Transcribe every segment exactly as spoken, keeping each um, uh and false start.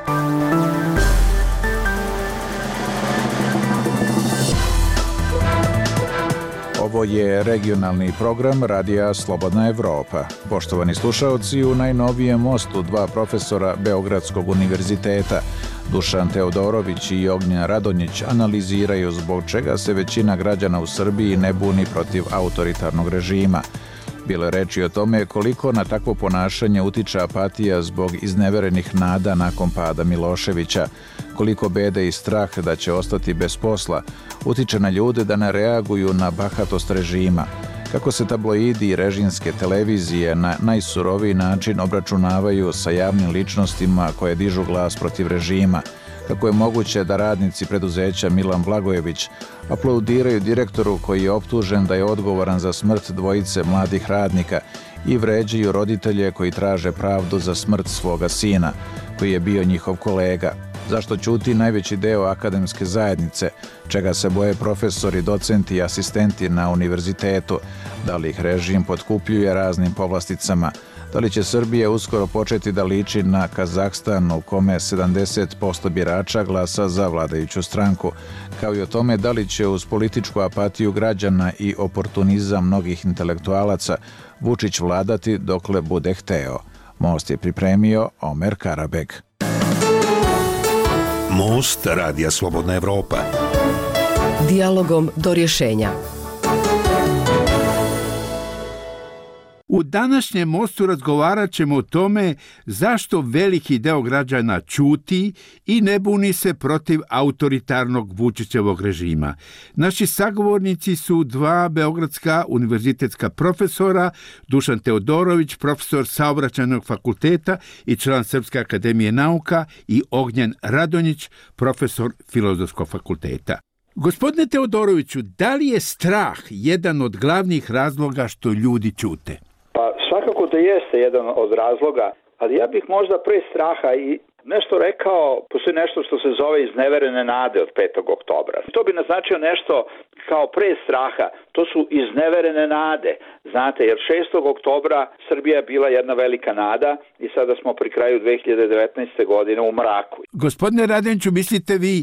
Ovo je regionalni program Radija Slobodna Evropa. Poštovani slušaoci, u najnovijem mostu dva profesora Beogradskog univerziteta, Dušan Teodorović i Ognjen Radonjić, analiziraju zbog čega se većina građana u Srbiji ne buni protiv autoritarnog režima. Bilo je reči o tome koliko na takvo ponašanje utiče apatija zbog izneverenih nada nakon pada Miloševića, koliko bede i strah da će ostati bez posla utiče na ljude da ne reaguju na bahatost režima, kako se tabloidi i režimske televizije na najsuroviji način obračunavaju sa javnim ličnostima koje dižu glas protiv režima, kako je moguće da radnici preduzeća Milan Blagojević aplaudiraju direktoru koji je optužen da je odgovoran za smrt dvojice mladih radnika i vređaju roditelje koji traže pravdu za smrt svoga sina, koji je bio njihov kolega. Zašto ćuti najveći deo akademske zajednice, čega se boje profesori, docenti i asistenti na univerzitetu, da li ih režim potkupljuje raznim povlasticama, da li će Srbija uskoro početi da liči na Kazahstan u kome sedamdeset posto birača glasa za vladajuću stranku, kao i o tome da li će uz političku apatiju građana i oportunizam mnogih intelektualaca Vučić vladati dokle bude hteo. Most je pripremio Omer Karabeg. Most Radija Slobodna Evropa. Dijalogom do rješenja. U današnjem mostu razgovarat ćemo o tome zašto veliki deo građana ćuti i ne buni se protiv autoritarnog Vučićevog režima. Naši sagovornici su dva beogradska univerzitetska profesora, Dušan Teodorović, profesor Saobraćajnog fakulteta i član Srpske akademije nauka, i Ognjen Radonjić, profesor Filozofskog fakulteta. Gospodine Teodoroviću, da li je strah jedan od glavnih razloga što ljudi ćute? Pa svakako da jeste jedan od razloga, ali ja bih možda pre straha i nešto rekao, postoji nešto što se zove izneverene nade od petog oktobra. To bi naznačio nešto kao pre straha, to su izneverene nade. Znate, jer šestog oktobra Srbija je bila jedna velika nada i sada smo pri kraju dve hiljade devetnaeste. godine u mraku. Gospodine Radonjiću, mislite vi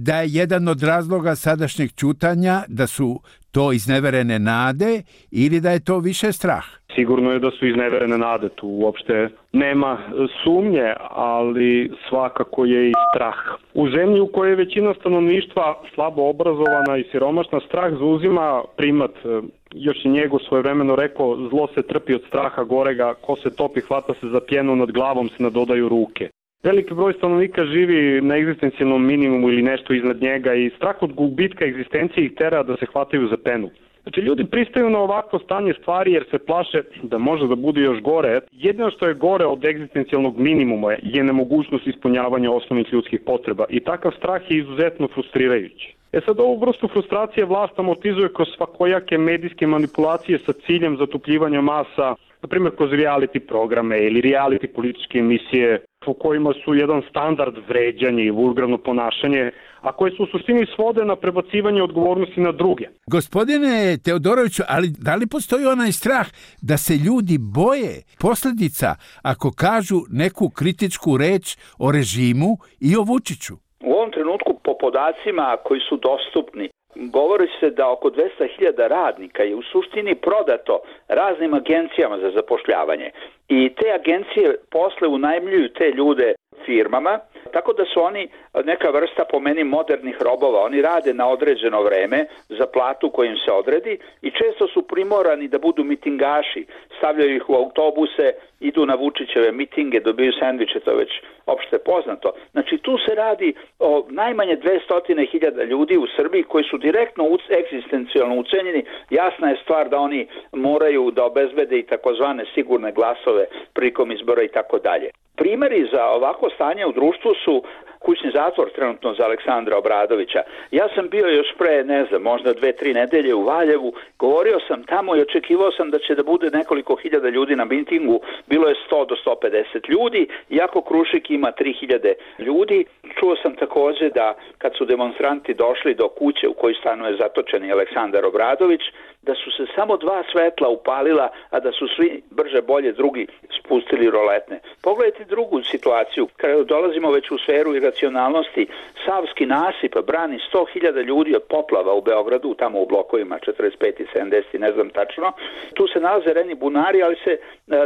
da je jedan od razloga sadašnjeg ćutanja da su to izneverene nade ili da je to više strah? Sigurno je da su izneverene nade, tu uopšte nema sumnje, ali svakako je i strah. U zemlji u kojoj je većina stanovništva slabo obrazovana i siromašna, strah zauzima primat. Još je njegov svojevremeno rekao, zlo se trpi od straha gorega, ko se topi hvata se za pjenu, nad glavom se nadodaju ruke. Veliki broj stanovnika živi na egzistencijalnom minimumu ili nešto iznad njega i strah od gubitka egzistencije ih tera da se hvataju za penu. Znači, ljudi pristaju na ovakvo stanje stvari jer se plaše da može da bude još gore. Jedino što je gore od egzistencijalnog minimuma je nemogućnost ispunjavanja osnovnih ljudskih potreba i takav strah je izuzetno frustrirajući. E sad, ovu vrstu frustracije vlast amortizuje kroz svakojake medijske manipulacije sa ciljem zatupljivanja masa, na primjer kroz reality programe ili reality političke emisije u kojima su jedan standard vređanje i vulgarno ponašanje, a koje su u suštini svode na prebacivanje odgovornosti na druge. Gospodine Teodoroviću, ali da li postoji onaj strah da se ljudi boje posljedica ako kažu neku kritičku reč o režimu i o Vučiću? U ovom trenutku, po podacima koji su dostupni, govori se da oko dvesta hiljada radnika je u suštini prodato raznim agencijama za zapošljavanje i te agencije posle unajmljuju te ljude firmama, tako da su oni neka vrsta, po meni, modernih robova. Oni rade na određeno vreme za platu koju im se odredi i često su primorani da budu mitingaši, stavljaju ih u autobuse, idu na Vučićeve mitinge, dobiju sendviče, to je već opšte poznato. Znači, tu se radi o najmanje dvesta hiljada ljudi u Srbiji koji su direktno egzistencijalno ucenjeni. Jasna je stvar da oni moraju da obezbede i takozvane sigurne glasove prilikom izbora i tako dalje. Primeri za ovako stanje u društvu su kućni zatvor trenutno za Aleksandra Obradovića. Ja sam bio još pre, ne znam, možda dve, tri nedelje u Valjevu, govorio sam tamo i očekivao sam da će da bude nekoliko hiljada ljudi na mitingu, bilo je sto do sto pedeset ljudi, iako Krušik ima tri hiljade ljudi. Čuo sam takođe da kad su demonstranti došli do kuće u kojoj stanuje zatočeni Aleksandar Obradović, da su se samo dva svetla upalila, a da su svi brže bolje drugi spustili roletne. Pogledajte drugu situaciju, kada dolazimo već u sferu iracionalnosti, Savski nasip brani sto hiljada ljudi od poplava u Beogradu, tamo u blokovima četrdeset pet i sedamdeset, ne znam tačno. Tu se nalaze reni bunari, ali se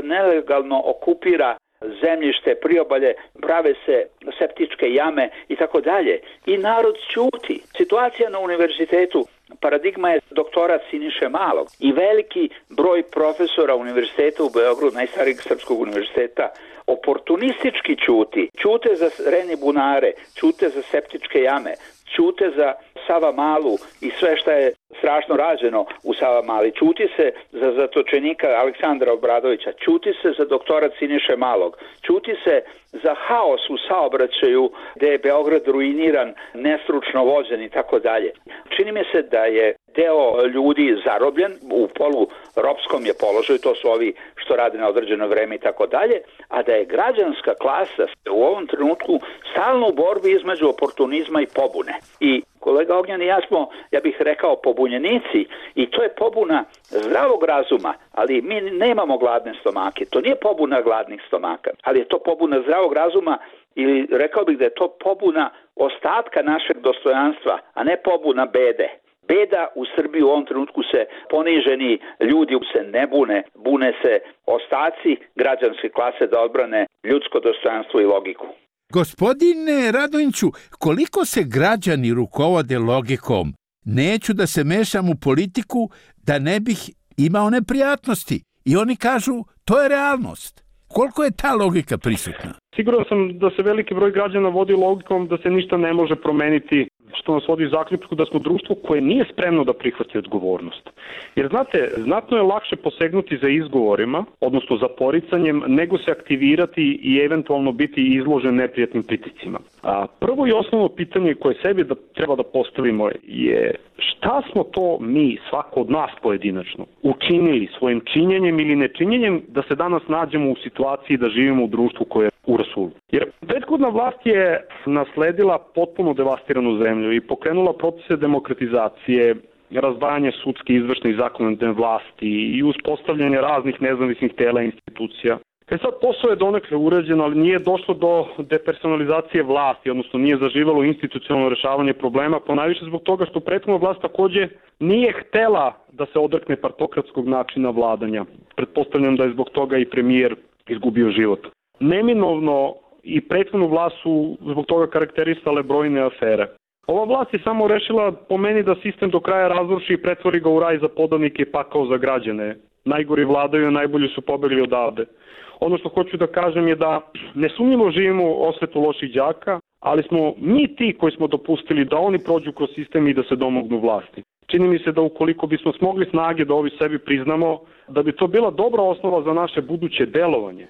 nelegalno okupira zemljište, priobalje, prave se septičke jame i tako dalje. I narod ćuti. Situacija na univerzitetu, paradigma je doktorat Siniše Malog i veliki broj profesora univerziteta u Beogradu, najstarijeg srpskog univerziteta, oportunistički ćuti. Ćute za reni bunare, ćute za septičke jame, ćute za Sava Malu i sve što je strašno rađeno u Sava Mali. Ćuti se za zatočenika Aleksandra Obradovića, ćuti se za doktorat Siniše Malog, ćuti se za haos u saobraćaju gde je Beograd ruiniran, nestručno vođen i tako dalje. Čini mi se da je deo ljudi zarobljen, u polu ropskom je položaju, to su ovi što rade na određeno vreme i tako dalje, a da je građanska klasa u ovom trenutku stalno u borbi između oportunizma i pobune. I kolega Ognjan i ja smo, ja bih rekao, pobunjenici i to je pobuna zdravog razuma, ali mi nemamo gladne stomake. To nije pobuna gladnih stomaka, ali je to pobuna zdravog razuma ili rekao bih da je to pobuna ostatka našeg dostojanstva, a ne pobuna bede. Beda u Srbiji u ovom trenutku se poniženi ljudi se ne bune, bune se ostaci građanske klase da odbrane ljudsko dostojanstvo i logiku. Gospodine Radonjiću, koliko se građani rukovode logikom? Neću da se mešam u politiku da ne bih imao neprijatnosti. I oni kažu, to je realnost. Koliko je ta logika prisutna? Siguran sam da se veliki broj građana vodi logikom da se ništa ne može promeniti, što nas vodi zaključku da smo društvo koje nije spremno da prihvati odgovornost. Jer znate, znatno je lakše posegnuti za izgovorima, odnosno za poricanjem, nego se aktivirati i eventualno biti izložen neprijatnim pritiscima. A prvo i osnovno pitanje koje sebi da treba da postavimo je šta smo to mi, svako od nas pojedinačno, učinili svojim činjenjem ili nečinjenjem da se danas nađemo u situaciji da živimo u društvu koje je u rasulu. Jer prethodna vlast je nasledila potpuno devastiranu zemlju i pokrenula procese demokratizacije, razdvajanje sudske, izvršne i zakonodavne vlasti i uspostavljanje raznih nezavisnih tela i institucija. E sad posao je donekle urađen, ali nije došlo do depersonalizacije vlasti, odnosno nije zaživalo institucionalno rešavanje problema, ponajviše zbog toga što prethodna vlast takođe nije htela da se odrekne partokratskog načina vladanja. Pretpostavljam da je zbog toga i premijer izgubio život. Neminovno i prethodnu vlast su zbog toga karakterisale brojne afere. Ova vlast je samo rešila po meni da sistem do kraja razruši i pretvori ga u raj za podanike i pakao za građane. Najgori vladaju, a najbolji su pobegli odavde. Ono što hoću da kažem je da nesumnjivo živimo u osvetu loših đaka, ali smo mi ti koji smo dopustili da oni prođu kroz sistem i da se domognu vlasti. Čini mi se da ukoliko bismo smogli snage da ovi sebi priznamo, da bi to bila dobra osnova za naše buduće delovanje.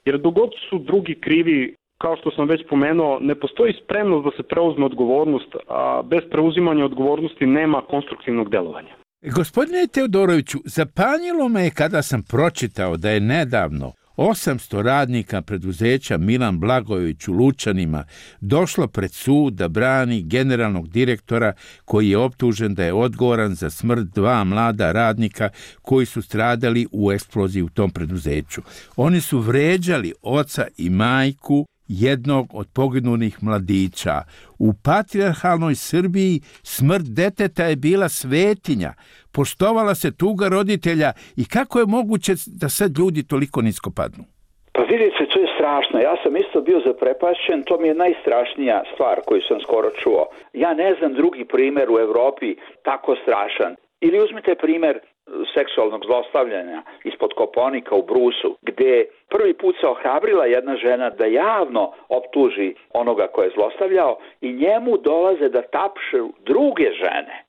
Jer dogod su drugi krivi, kao što sam već pomenuo, ne postoji spremnost da se preuzme odgovornost, a bez preuzimanja odgovornosti nema konstruktivnog delovanja. Gospodine Teodoroviću, zapanjilo me je kada sam pročitao da je nedavno osamsto radnika preduzeća Milan Blagojević u Lučanima došlo pred sud da brani generalnog direktora koji je optužen da je odgovoran za smrt dva mlada radnika koji su stradali u eksploziji u tom preduzeću. Oni su vređali oca i majku jednog od poginulih mladića. U patrijarhalnoj Srbiji smrt deteta je bila svetinja. Poštovala se tuga roditelja i kako je moguće da sad ljudi toliko nisko padnu? Pa vidite, to je strašno. Ja sam isto bio zaprepašćen, to mi je najstrašnija stvar koju sam skoro čuo. Ja ne znam drugi primer u Evropi tako strašan. Ili uzmite primer seksualnog zlostavljanja ispod Kopaonika u Brusu, gde prvi put se ohrabrila jedna žena da javno optuži onoga ko je zlostavljao i njemu dolaze da tapšu druge žene.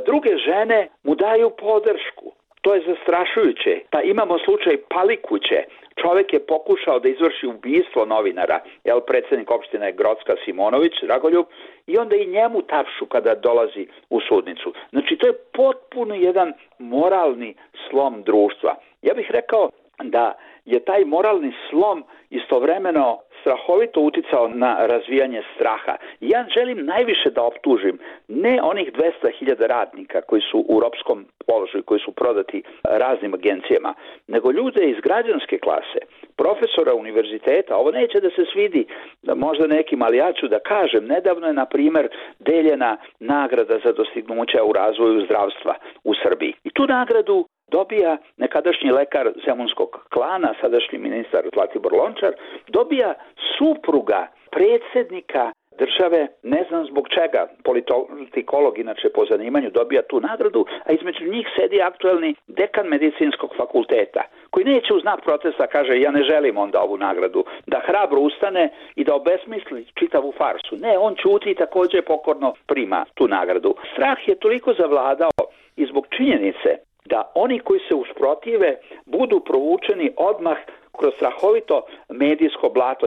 Druge žene mu daju podršku. To je zastrašujuće. Pa imamo slučaj Palikuće. Čovjek je pokušao da izvrši ubistvo novinara, jel, predsjednik opštine Grocka Simonović, Dragoljub, i onda i njemu tapšu kada dolazi u sudnicu. Znači, to je potpuno jedan moralni slom društva. Ja bih rekao da je taj moralni slom istovremeno strahovito uticao na razvijanje straha. Ja želim najviše da optužim ne onih dvesta hiljada radnika koji su u ropskom položaju, koji su prodati raznim agencijama, nego ljude iz građanske klase, profesora univerziteta. Ovo neće da se svidi da možda nekim, ali ja ću da kažem, nedavno je, na primjer, deljena nagrada za dostignuća u razvoju zdravstva u Srbiji. I tu nagradu dobija nekadašnji lekar zemunskog klana, sadašnji ministar Zlatibor Lončar, dobija supruga predsjednika države, ne znam zbog čega, politikolog inače po zanimanju dobija tu nagradu, a između njih sedi aktuelni dekan medicinskog fakulteta, koji neće u znak protesta, kaže, ja ne želim onda ovu nagradu, da hrabro ustane i da obesmisli čitavu farsu. Ne, on ćuti i također pokorno prima tu nagradu. Strah je toliko zavladao i zbog činjenice da oni koji se usprotive budu provučeni odmah kroz strahovito medijsko blato.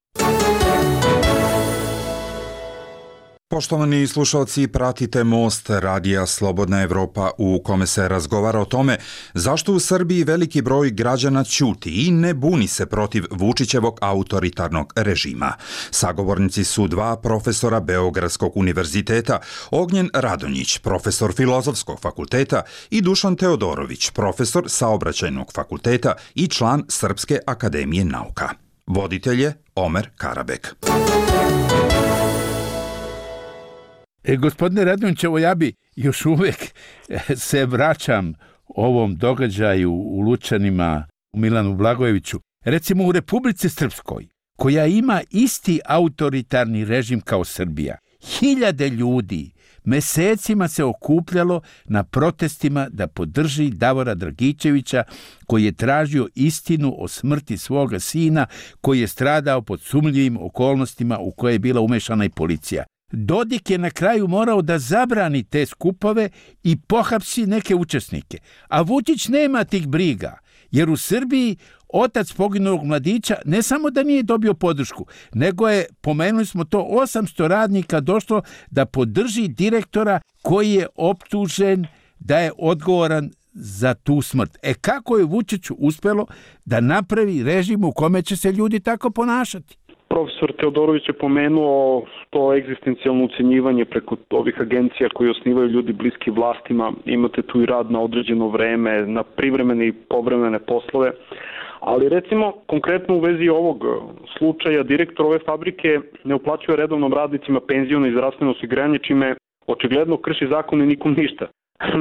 Poštovani slušalci, pratite Most radija Slobodna Evropa u kome se razgovara o tome zašto u Srbiji veliki broj građana ćuti i ne buni se protiv Vučićevog autoritarnog režima. Sagovornici su dva profesora Beogradskog univerziteta, Ognjen Radonjić, profesor Filozofskog fakulteta, i Dušan Teodorović, profesor Saobraćajnog fakulteta i član Srpske akademije nauka. Voditelj je Omer Karabek. E, gospodine Radonjić, evo ja bi još uvijek se vraćam ovom događaju u Lučanima, u Milanu Blagojeviću. Recimo u Republici Srpskoj, koja ima isti autoritarni režim kao Srbija, hiljade ljudi mesecima se okupljalo na protestima da podrži Davora Dragičevića, koji je tražio istinu o smrti svoga sina, koji je stradao pod sumnjivim okolnostima u koje je bila umešana i policija. Dodik je na kraju morao da zabrani te skupove i pohapsi neke učesnike. A Vučić nema tih briga, jer u Srbiji otac poginulog mladića ne samo da nije dobio podršku, nego je, pomenuli smo to, osamsto radnika došlo da podrži direktora koji je optužen da je odgovoran za tu smrt. E kako je Vučiću uspelo da napravi režim u kome će se ljudi tako ponašati? Profesor Teodorović je pomenuo to egzistencijalno ucenjivanje preko ovih agencija koji osnivaju ljudi bliski vlastima. Imate tu i rad na određeno vreme, na privremene i povremene poslove. Ali recimo, konkretno u vezi ovog slučaja, direktor ove fabrike ne uplaćuje redovnom radnicima penziono i zdravstveno osiguranje, čime očigledno krši zakon i nikom ništa.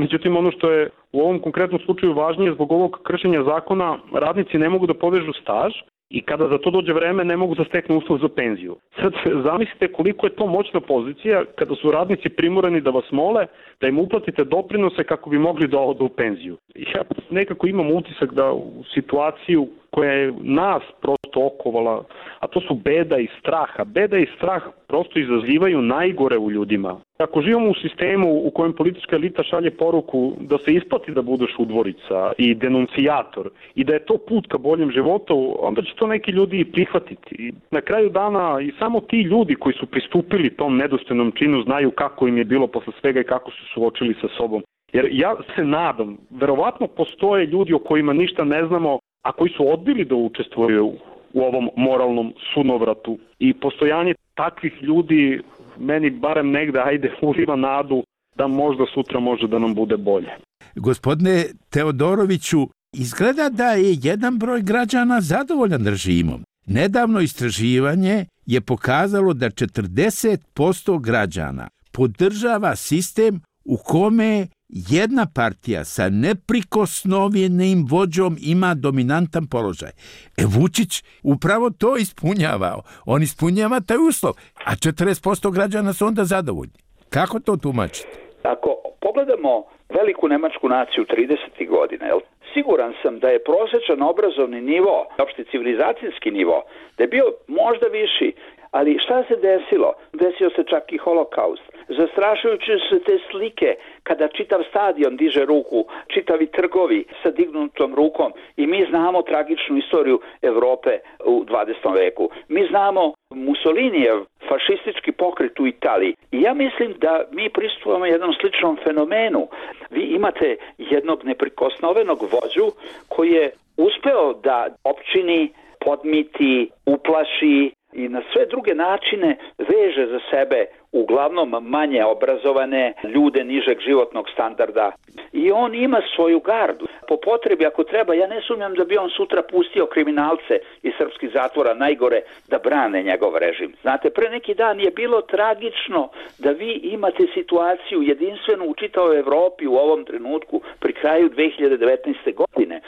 Međutim, ono što je u ovom konkretnom slučaju važnije, zbog ovog kršenja zakona radnici ne mogu da povežu staž i kada za to dođe vreme ne mogu da steknu uslov za penziju. Sad zamislite koliko je to moćna pozicija kada su radnici primorani da vas mole da im uplatite doprinose kako bi mogli da odu u penziju. Ja nekako imam utisak da u situaciju koja je nas prosto okovala, a to su beda i strah, a beda i strah prosto izazivaju najgore u ljudima. Ako živimo u sistemu u kojem politička elita šalje poruku da se isplati da budeš udvorica i denuncijator i da je to put ka boljem životu, onda će to neki ljudi i prihvatiti. I na kraju dana i samo ti ljudi koji su pristupili tom nedostojnom činu znaju kako im je bilo posle svega i kako su suočili sa sobom. Jer ja se nadam, verovatno postoje ljudi o kojima ništa ne znamo, a koji su odbili da učestvuju u ovom moralnom sunovratu. I postojanje takvih ljudi meni barem negde, ajde, uliva nadu da možda sutra može da nam bude bolje. Gospodine Teodoroviću, izgleda da je jedan broj građana zadovoljan režimom. Nedavno istraživanje je pokazalo da četrdeset posto građana podržava sistem u kome jedna partija sa neprikosnovenim vođom ima dominantan položaj. E Vučić upravo to ispunjava. On ispunjava taj uslov, a četrdeset posto građana su onda zadovoljni. Kako to tumačite? Ako pogledamo veliku nemačku naciju tridesetih godina, jel? Siguran sam da je prosječan obrazovni nivo, opšti civilizacijski nivo, da je bio možda viši, Ali šta se desilo? Desio se čak i holokaust. Zastrašujući su te slike kada čitav stadion diže ruku, čitavi trgovi sa dignutom rukom i mi znamo tragičnu istoriju Evrope u dvadesetom veku. Mi znamo Mussolinijev fašistički pokret u Italiji. I ja mislim da mi pristupamo jednom sličnom fenomenu. Vi imate jednog neprikosnovenog vođu koji je uspeo da opčini, podmiti, uplaši i na sve druge načine veže za sebe uglavnom manje obrazovane ljude nižeg životnog standarda. I on ima svoju gardu. Po potrebi, ako treba, ja ne sumnjam da bi on sutra pustio kriminalce iz srpskih zatvora najgore da brane njegov režim. Znate, pre neki dan je bilo tragično da vi imate situaciju jedinstvenu u čitavoj Evropi u ovom trenutku pri kraju dve hiljade devetnaeste. godine.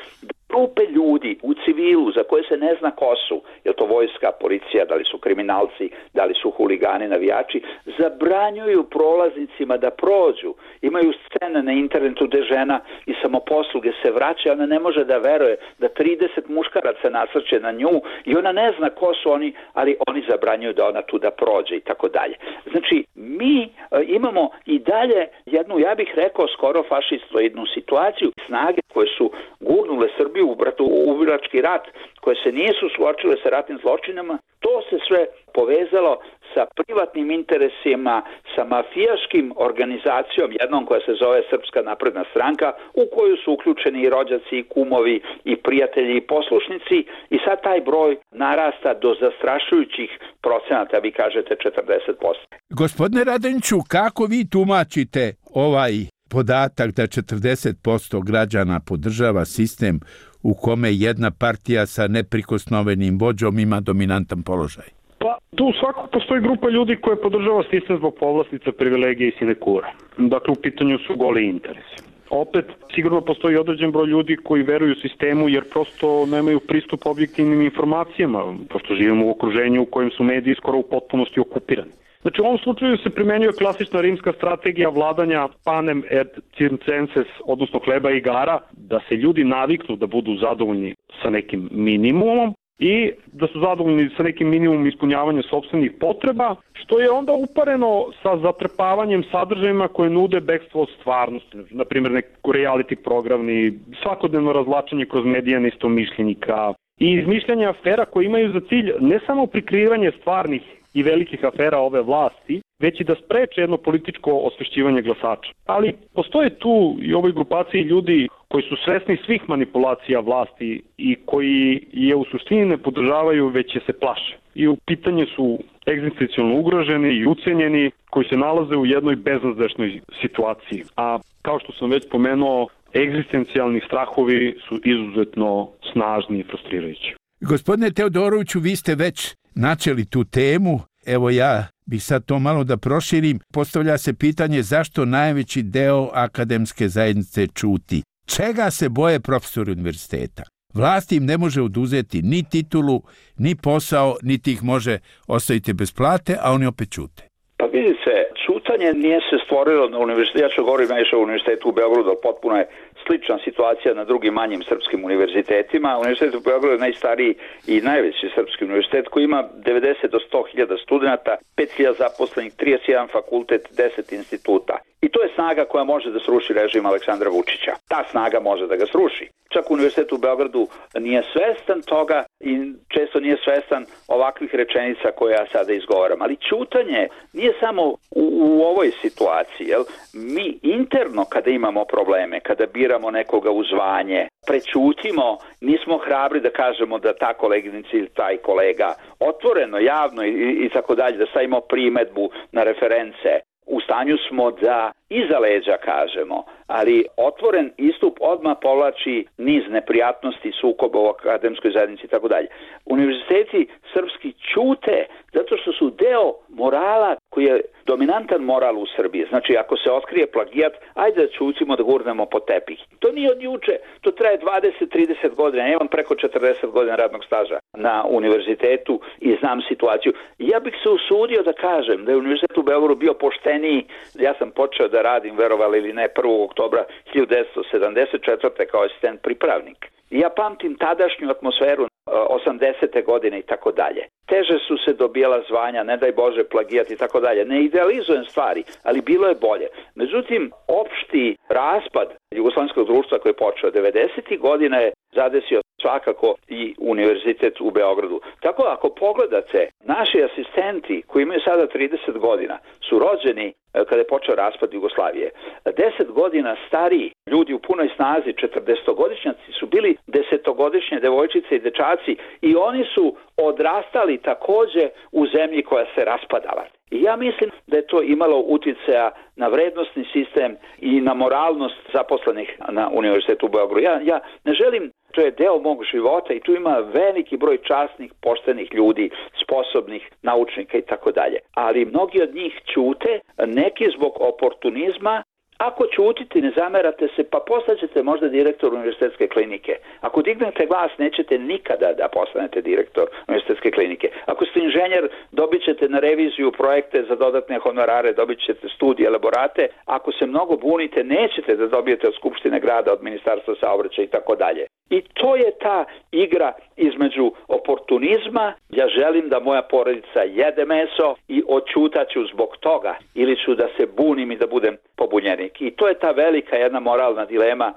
Grupe ljudi u civilu za koje se ne zna ko su, je to vojska, policija, da li su kriminalci, da li su huligani, navijači, zabranjuju prolaznicima da prođu. Imaju scene na internetu gde žena i samoposluge se vraća, ona ne može da veruje da trideset muškaraca nasrće na nju i ona ne zna ko su oni, ali oni zabranjuju da ona tu da prođe i tako dalje. Znači, mi e, imamo i dalje jednu, ja bih rekao, skoro fašistoidnu situaciju, snage koje su gurnule Srbiju u bratoubilački rat, koje se nisu suočile sa ratnim zločinama, to se sve povezalo sa privatnim interesima, sa mafijaškim organizacijom, jednom koja se zove Srpska napredna stranka, u koju su uključeni i rođaci, i kumovi, i prijatelji, i poslušnici, i sad taj broj narasta do zastrašujućih procenata, vi kažete četrdeset posto. Gospodine Radonjiću, kako vi tumačite ovaj podatak da četrdeset posto građana podržava sistem u kome jedna partija sa neprikosnovenim vođom ima dominantan položaj? Pa tu svakako postoji grupa ljudi koja podržava sistem zbog povlastica, privilegije i sinekura. Dakle, u pitanju su goli interesi. Opet, sigurno postoji određen broj ljudi koji veruju sistemu jer prosto nemaju pristup objektivnim informacijama, pošto živimo u okruženju u kojem su mediji skoro u potpunosti okupirani. Znači, u ovom slučaju se primenjuje klasična rimska strategija vladanja panem et circenses, odnosno hleba i igara, da se ljudi naviknu da budu zadovoljni sa nekim minimumom i da su zadovoljni sa nekim minimumom ispunjavanja sopstvenih potreba, što je onda upareno sa zatrpavanjem sadržajima koje nude bekstvo od stvarnosti. Na primjer, neki reality programi, svakodnevno razvlačenje kroz medije neistomišljenika i izmišljanje afera koje imaju za cilj ne samo prikrivanje stvarnih i velikih afera ove vlasti, već i da spreče jedno političko osvešćivanje glasača. Ali postoje tu i u ovoj grupaciji ljudi koji su svesni svih manipulacija vlasti i koji je u suštini ne podržavaju, već je se plaše. I u pitanju su egzistencijalno ugroženi i ucenjeni koji se nalaze u jednoj beznadežnoj situaciji. A kao što sam već pomenuo, egzistencijalni strahovi su izuzetno snažni i frustrirajući. Gospodine Teodoroviću, vi ste već načeli tu temu. Evo ja bih sad to malo da proširim. Postavlja se pitanje zašto najveći deo akademske zajednice ćuti. Čega se boje profesori univerziteta? Vlast im ne može oduzeti ni titulu, ni posao, niti ih može ostaviti bez plate, a oni opet ćute. Pa vidite, ćutanje nije se stvorilo na univerzitetu, ja ću govorim najviše o univerzitetu u Beogradu, ali potpuno je slična situacija na drugim manjim srpskim univerzitetima. Univerzitet u Beogradu je najstariji i najveći srpski univerzitet koji ima devedeset do sto hiljada studenta, pet hiljada zaposlenih, trideset jedan fakultet, deset instituta. I to je snaga koja može da sruši režim Aleksandra Vučića. Ta snaga može da ga sruši. Čak univerzitet u Beogradu nije svestan toga i često nije svestan ovakvih rečenica koje ja sada izgovaram. Ali ćutanje nije samo u, u ovoj situaciji. Jel? Mi interno kada imamo probleme, kada biramo nekoga u zvanje, prećutimo, nismo hrabri da kažemo da ta koleginica ili taj kolega otvoreno, javno i, i tako dalje, da stavimo primedbu na reference. U stanju smo da iza leđa kažemo, ali otvoren istup odmah povlači niz neprijatnosti, sukoba u akademskoj zajednici i tako dalje. Univerziteti srpski ćute zato što su deo morala koji je dominantan moral u Srbiji. Znači, ako se otkrije plagijat, ajde da ćutimo, da gurnemo po tepih. To nije od juče, to traje dvadeset do trideset godina. Ja imam preko četrdeset godina radnog staža na univerzitetu i znam situaciju. Ja bih se usudio da kažem da je univerzitet u Beogradu bio pošteniji. Ja sam počeo da radim, verovali ili ne, prvog oktobra hiljadu devetsto sedamdeset četvrte kao asistent pripravnik. I ja pamtim tadašnju atmosferu osamdesete godine i tako dalje. teže su se dobijala zvanja, ne daj Bože plagijat i tako dalje. Ne idealizujem stvari, ali bilo je bolje. Međutim, opšti raspad jugoslovenskog društva koji je počeo devedesetih godina je zadesio svakako i univerzitet u Beogradu. Tako ako pogledate, naši asistenti koji imaju sada trideset godina su rođeni kada je počeo raspad Jugoslavije. deset godina stariji ljudi u punoj snazi, četrdesetogodišnjaci, su bili desetogodišnje devojčice i dečaci i oni su odrastali takođe u zemlji koja se raspadala. I ja mislim da je to imalo uticaja na vrednostni sistem i na moralnost zaposlenih na Univerzitetu u Beogradu. Ja, ja ne želim, to je deo mog života i tu ima veliki broj časnih, poštenih ljudi, sposobnih naučnika i tako dalje. Ali mnogi od njih ćute, neki zbog oportunizma. Ako ćutite, ne zamerate se, pa postaćete možda direktor univerzitetske klinike. Ako dignete glas, nećete nikada da postanete direktor univerzitetske klinike. Ako ste inženjer, dobit ćete na reviziju projekte za dodatne honorare, dobit ćete studije, elaborate. Ako se mnogo bunite, nećete da dobijete od Skupštine grada, od Ministarstva saobraćaja i tako dalje. I to je ta igra između oportunizma, ja želim da moja porodica jede meso i odćutaću zbog toga, ili ću da se bunim i da budem pobunjenik. I to je ta velika jedna moralna dilema.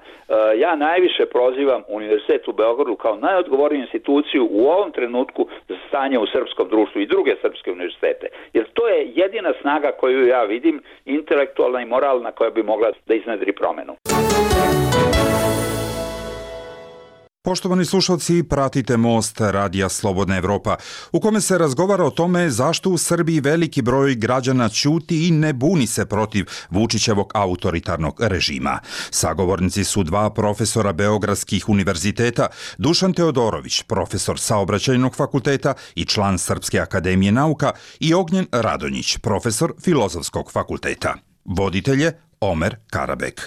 Ja najviše prozivam Univerzitet u Beogradu kao najodgovorniju instituciju u ovom trenutku za stanje u srpskom društvu i druge srpske univerzitete. Jer to je jedina snaga koju ja vidim, intelektualna i moralna, koja bi mogla da iznedri promenu. Poštovani slušalci, pratite Most Radija Slobodna Evropa, u kome se razgovara o tome zašto u Srbiji veliki broj građana ćuti i ne buni se protiv Vučićevog autoritarnog režima. Sagovornici su dva profesora beogradskih univerziteta, Dušan Teodorović, profesor Saobraćajnog fakulteta i član Srpske akademije nauka, i Ognjen Radonjić, profesor Filozofskog fakulteta. Voditelj je Omer Karabek.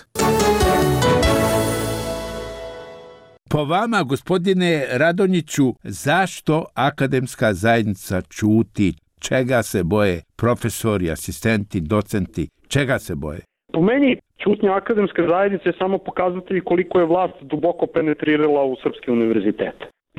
Po vama, gospodine Radonjiću, zašto akademska zajednica ćuti? Čega se boje profesori, asistenti, docenti? Čega se boje? Po meni, ćutnja akademske zajednice je samo pokazatelj koliko je vlast duboko penetrirala u srpski univerzitet.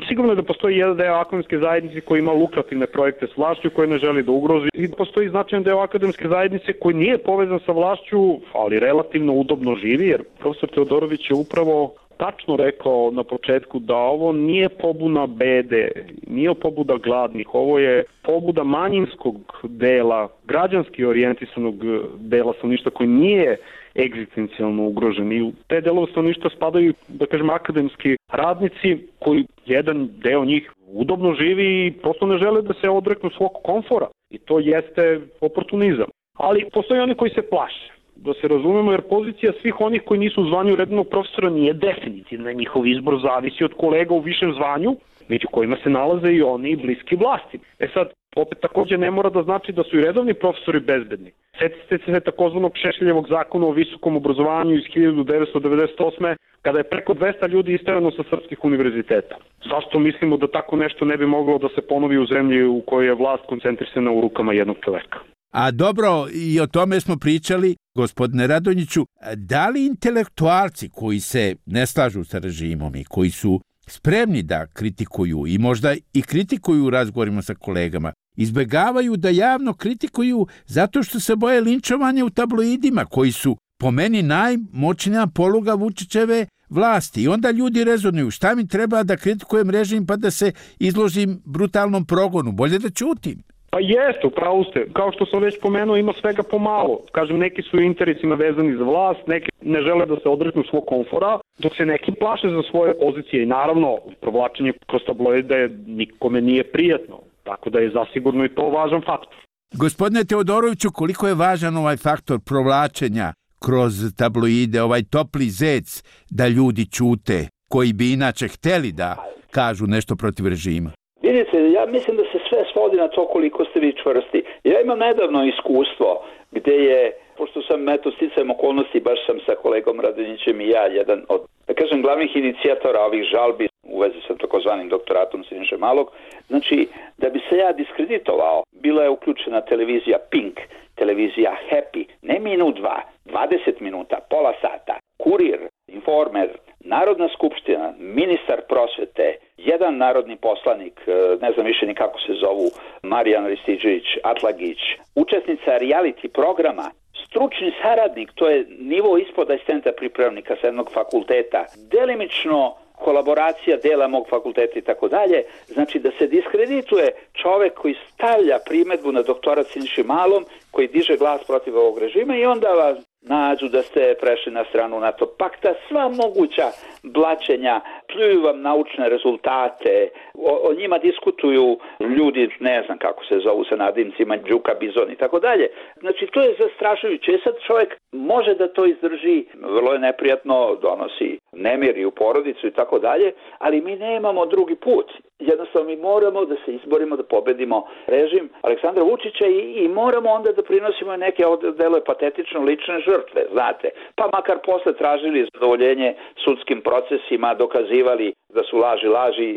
Sigurno je da postoji jedan deo akademske zajednice koji ima lukrativne projekte s vlašću koje ne želi da ugrozi, i postoji značajan deo akademske zajednice koji nije povezan sa vlašću, ali relativno udobno živi, jer profesor Teodorović je upravo tačno rekao na početku da ovo nije pobuna bede, nije pobuda gladnih, ovo je pobuda manjinskog dela, građanski orijentisanog dela stanovništva koji nije egzistencijalno ugrožen. I u te delove stanovništva spadaju, da kažem, akademski radnici koji jedan deo njih udobno živi i prosto ne žele da se odreknu svog komfora. I to jeste oportunizam. Ali postoji oni koji se plaše. Da se razumemo, jer pozicija svih onih koji nisu u zvanju redovnog profesora nije definitivna. Njihov izbor zavisi od kolega u višem zvanju, među kojima se nalaze i oni bliski vlasti. E sad, opet također ne mora da znači da su i redovni profesori bezbedni. Sjetite se takozvanog Šešeljevog zakona o visokom obrazovanju iz hiljadu devetsto devedeset osme. kada je preko dvesta ljudi isterano sa srpskih univerziteta. Zašto mislimo da tako nešto ne bi moglo da se ponovi u zemlji u kojoj je vlast koncentrisana u rukama jednog čoveka? A dobro, i o tome smo pričali, gospodine Radonjiću, da li intelektualci koji se ne slažu sa režimom i koji su spremni da kritikuju i možda i kritikuju u razgovorima sa kolegama, izbegavaju da javno kritikuju zato što se boje linčovanja u tabloidima koji su po meni najmoćnija poluga Vučićeve vlasti. I onda ljudi rezonuju, šta mi treba da kritikujem režim pa da se izložim brutalnom progonu, bolje da ćutim. Pa jeste, upravo ste. Kao što sam već pomenuo, ima svega pomalo. Kažem, neki su interesima vezani za vlast, neki ne žele da se odreknu svog komfora, dok se neki plaše za svoje pozicije. I naravno, provlačenje kroz tabloide nikome nije prijatno, tako da je zasigurno i to važan faktor. Gospodine Teodoroviću, koliko je važan ovaj faktor provlačenja kroz tabloide, ovaj topli zec da ljudi ćute, koji bi inače hteli da kažu nešto protiv režima? Vidite, ja mislim da se sve svodi na to koliko ste vi čvrsti. Ja imam nedavno iskustvo gde je, pošto sam eto sticajem okolnosti, baš sam sa kolegom Radonjićem i ja, jedan od, da kažem, glavnih inicijatora ovih žalbi u vezi sa takozvanim doktoratom Siniše Malog. Znači, da bi se ja diskreditovao, bila je uključena televizija Pink, televizija Happy, ne minut dva, dvadeset minuta, pola sata, Kurir, Informer, Narodna skupština, ministar prosvete, jedan narodni poslanik, ne znam više ni kako se zovu, Marijan Ristiđević, Atlagić, učesnica reality programa, stručni saradnik, to je nivo ispod asistenta pripravnika sa jednog fakulteta, delimično kolaboracija dela mog fakulteta i tako dalje, znači da se diskredituje čovek koji stavlja primedbu na doktorat Siniši Malom, koji diže glas protiv ovog režima i onda vas nađu da ste prešli na stranu NATO pakta, sva moguća blaćenja, pljuju vam naučne rezultate, o, o njima diskutuju ljudi, ne znam kako se zovu sa nadimcima, Đuka, Bizon i tako dalje. Znači to je zastrašujuće. Sad čovjek može da to izdrži, vrlo je neprijatno, donosi nemir i u porodicu i tako dalje, ali mi nemamo drugi put. Jednostavno mi moramo da se izborimo, da pobedimo režim Aleksandra Vučića i, i moramo onda da prinosimo neke, ovdje deluje patetično, lične žrtve, znate. Pa makar posle tražili zadovoljenje sudskim procesima, dokazivali da su laži, laži,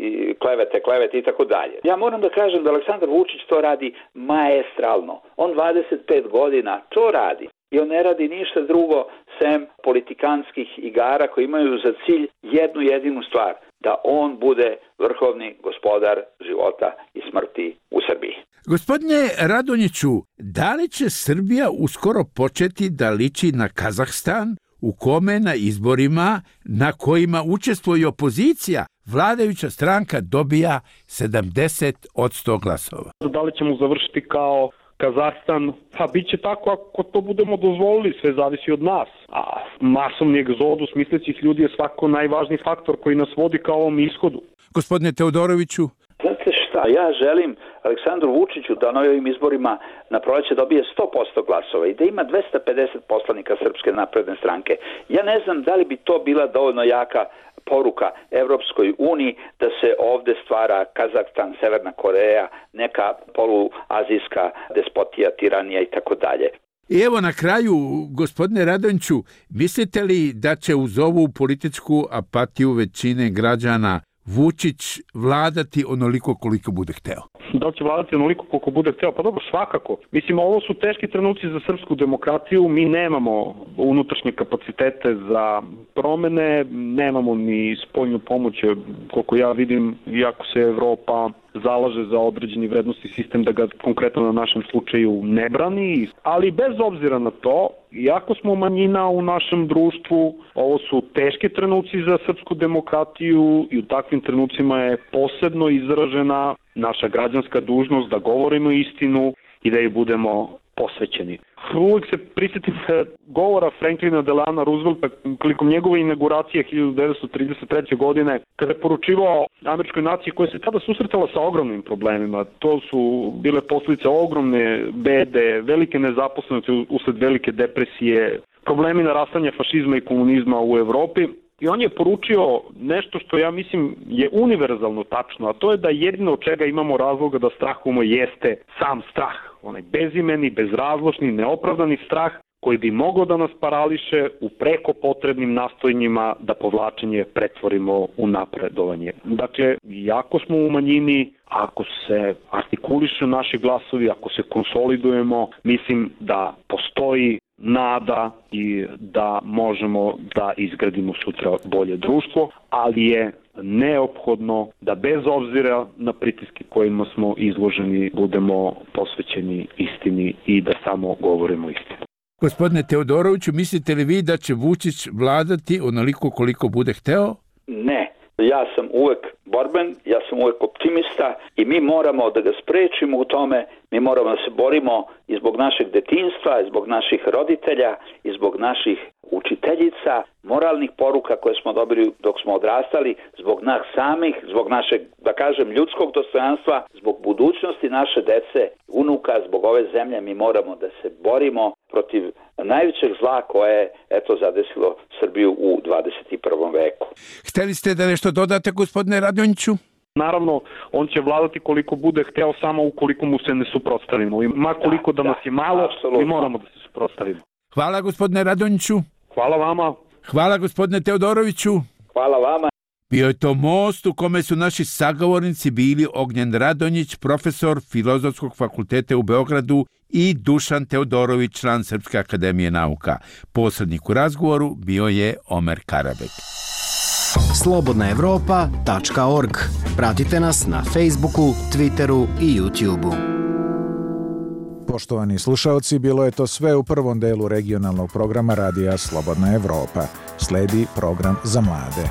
klevete, klevete i tako dalje. Ja moram da kažem da Aleksandar Vučić to radi maestralno. On dvadeset pet godina to radi. I on ne radi ništa drugo sem politikanskih igara koji imaju za cilj jednu jedinu stvar, da on bude vrhovni gospodar života i smrti u Srbiji. Gospodine Radonjiću, da li će Srbija uskoro početi da liči na Kazahstan, u kome na izborima na kojima učestvuje opozicija, vladajuća stranka dobija sedamdeset posto glasova? Da li ćemo završiti kao Kazahstan? Pa bit će tako ako to budemo dozvolili, sve zavisi od nas. A masovni egzodus mislećih ljudi je svako najvažniji faktor koji nas vodi ka ovom ishodu. Gospodine Teodoroviću? Znate šta, ja želim Aleksandru Vučiću da na ovim izborima na proleće dobije sto posto glasova i da ima dvesta pedeset poslanika Srpske napredne stranke. Ja ne znam da li bi to bila dovoljno jaka poruka Evropskoj uniji da se ovde stvara Kazahstan, Severna Koreja, neka poluazijska despotija, tiranija i tako dalje. I evo na kraju, gospodine Radonjiću, mislite li da će uz ovu političku apatiju većine građana Vučić vladati onoliko koliko bude hteo? Da li će vladati onoliko koliko bude hteo? Pa dobro, svakako. Mislim, ovo su teški trenuci za srpsku demokratiju. Mi nemamo unutrašnje kapacitete za promene, nemamo ni spoljnu pomoć, koliko ja vidim, iako se Evropa zalaže za određeni vrednosti sistem da ga konkretno na našem slučaju ne brani, ali bez obzira na to, iako smo manjina u našem društvu, ovo su teški trenuci za srpsku demokratiju i u takvim trenucima je posebno izražena naša građanska dužnost da govorimo istinu i da ih budemo posvećeni. Uvijek se prisjetim govora Franklina Delana Roosevelta prilikom njegove inauguracije hiljadu devetsto trideset treće. godine, kada je poručivao američkoj naciji koja se tada susretala sa ogromnim problemima. To su bile posljedice ogromne bede, velike nezaposlenosti usled velike depresije, problemi narastanja fašizma i komunizma u Evropi. I on je poručio nešto što ja mislim je univerzalno tačno, a to je da jedino od čega imamo razloga da strahujemo jeste sam strah. Onaj bezimeni, bezrazložni, neopravdani strah koji bi mogao da nas parališe u preko potrebnim nastojanjima da povlačenje pretvorimo u napredovanje. Dakle, jako smo u manjini, ako se artikulišu naši glasovi, ako se konsolidujemo, mislim da postoji nada i da možemo da izgradimo sutra bolje društvo, ali je neophodno da bez obzira na pritiske kojima smo izloženi budemo posvećeni istini i da samo govorimo istinu. Gospodine Teodoroviću, mislite li vi da će Vučić vladati onoliko koliko bude hteo? Ne. Ja sam uvek borben, ja sam uvek optimista i mi moramo da ga sprečimo u tome, mi moramo da se borimo i zbog našeg detinjstva, i zbog naših roditelja, i zbog naših učiteljica, moralnih poruka koje smo dobili dok smo odrastali, zbog nas samih, zbog našeg, da kažem, ljudskog dostojanstva, zbog budućnosti naše dece, unuka, zbog ove zemlje mi moramo da se borimo protiv najvećeg zla koje je eto zadesilo Srbiju u dvadeset prvom veku. Hteli ste da nešto dodate, gospodine Radonjiću? Naravno, on će vladati koliko bude hteo samo ukoliko mu se ne suprotstavimo. I ma koliko da, da nas je malo, apsolutno. Mi moramo da se suprotstavimo. Hvala, gospodine Radonjiću. Hvala vama. Hvala, gospodine Teodoroviću. Hvala vama. Bio je to most u kome su naši sagovornici bili Ognjen Radonjić, profesor Filozofskog fakulteta u Beogradu, i Dušan Teodorović, član Srpske akademije nauka. Posrednik u razgovoru bio je Omer Karabek. slobodna evropa tačka org. Pratite nas na Facebooku, Twitteru i YouTubeu. Poštovani slušaoci, bilo je to sve u prvom delu regionalnog programa Radija Slobodna Evropa. Sledi program za mlade.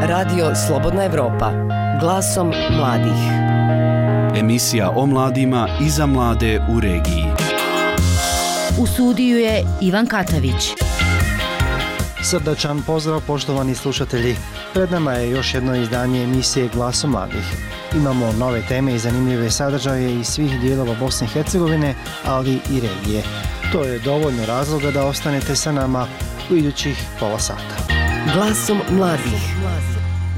Radio Slobodna Evropa, glasom mladih. Emisija o mladima i za mlade u regiji. U studiju je Ivan Katavić. Srdačan pozdrav poštovani slušatelji. Pred nama je još jedno izdanje emisije Glasom mladih. Imamo nove teme i zanimljive sadržaje iz svih dijelova Bosne i Hercegovine, ali i regije. To je dovoljno razloga da ostanete sa nama u idućih pola sata. Glasom mladih.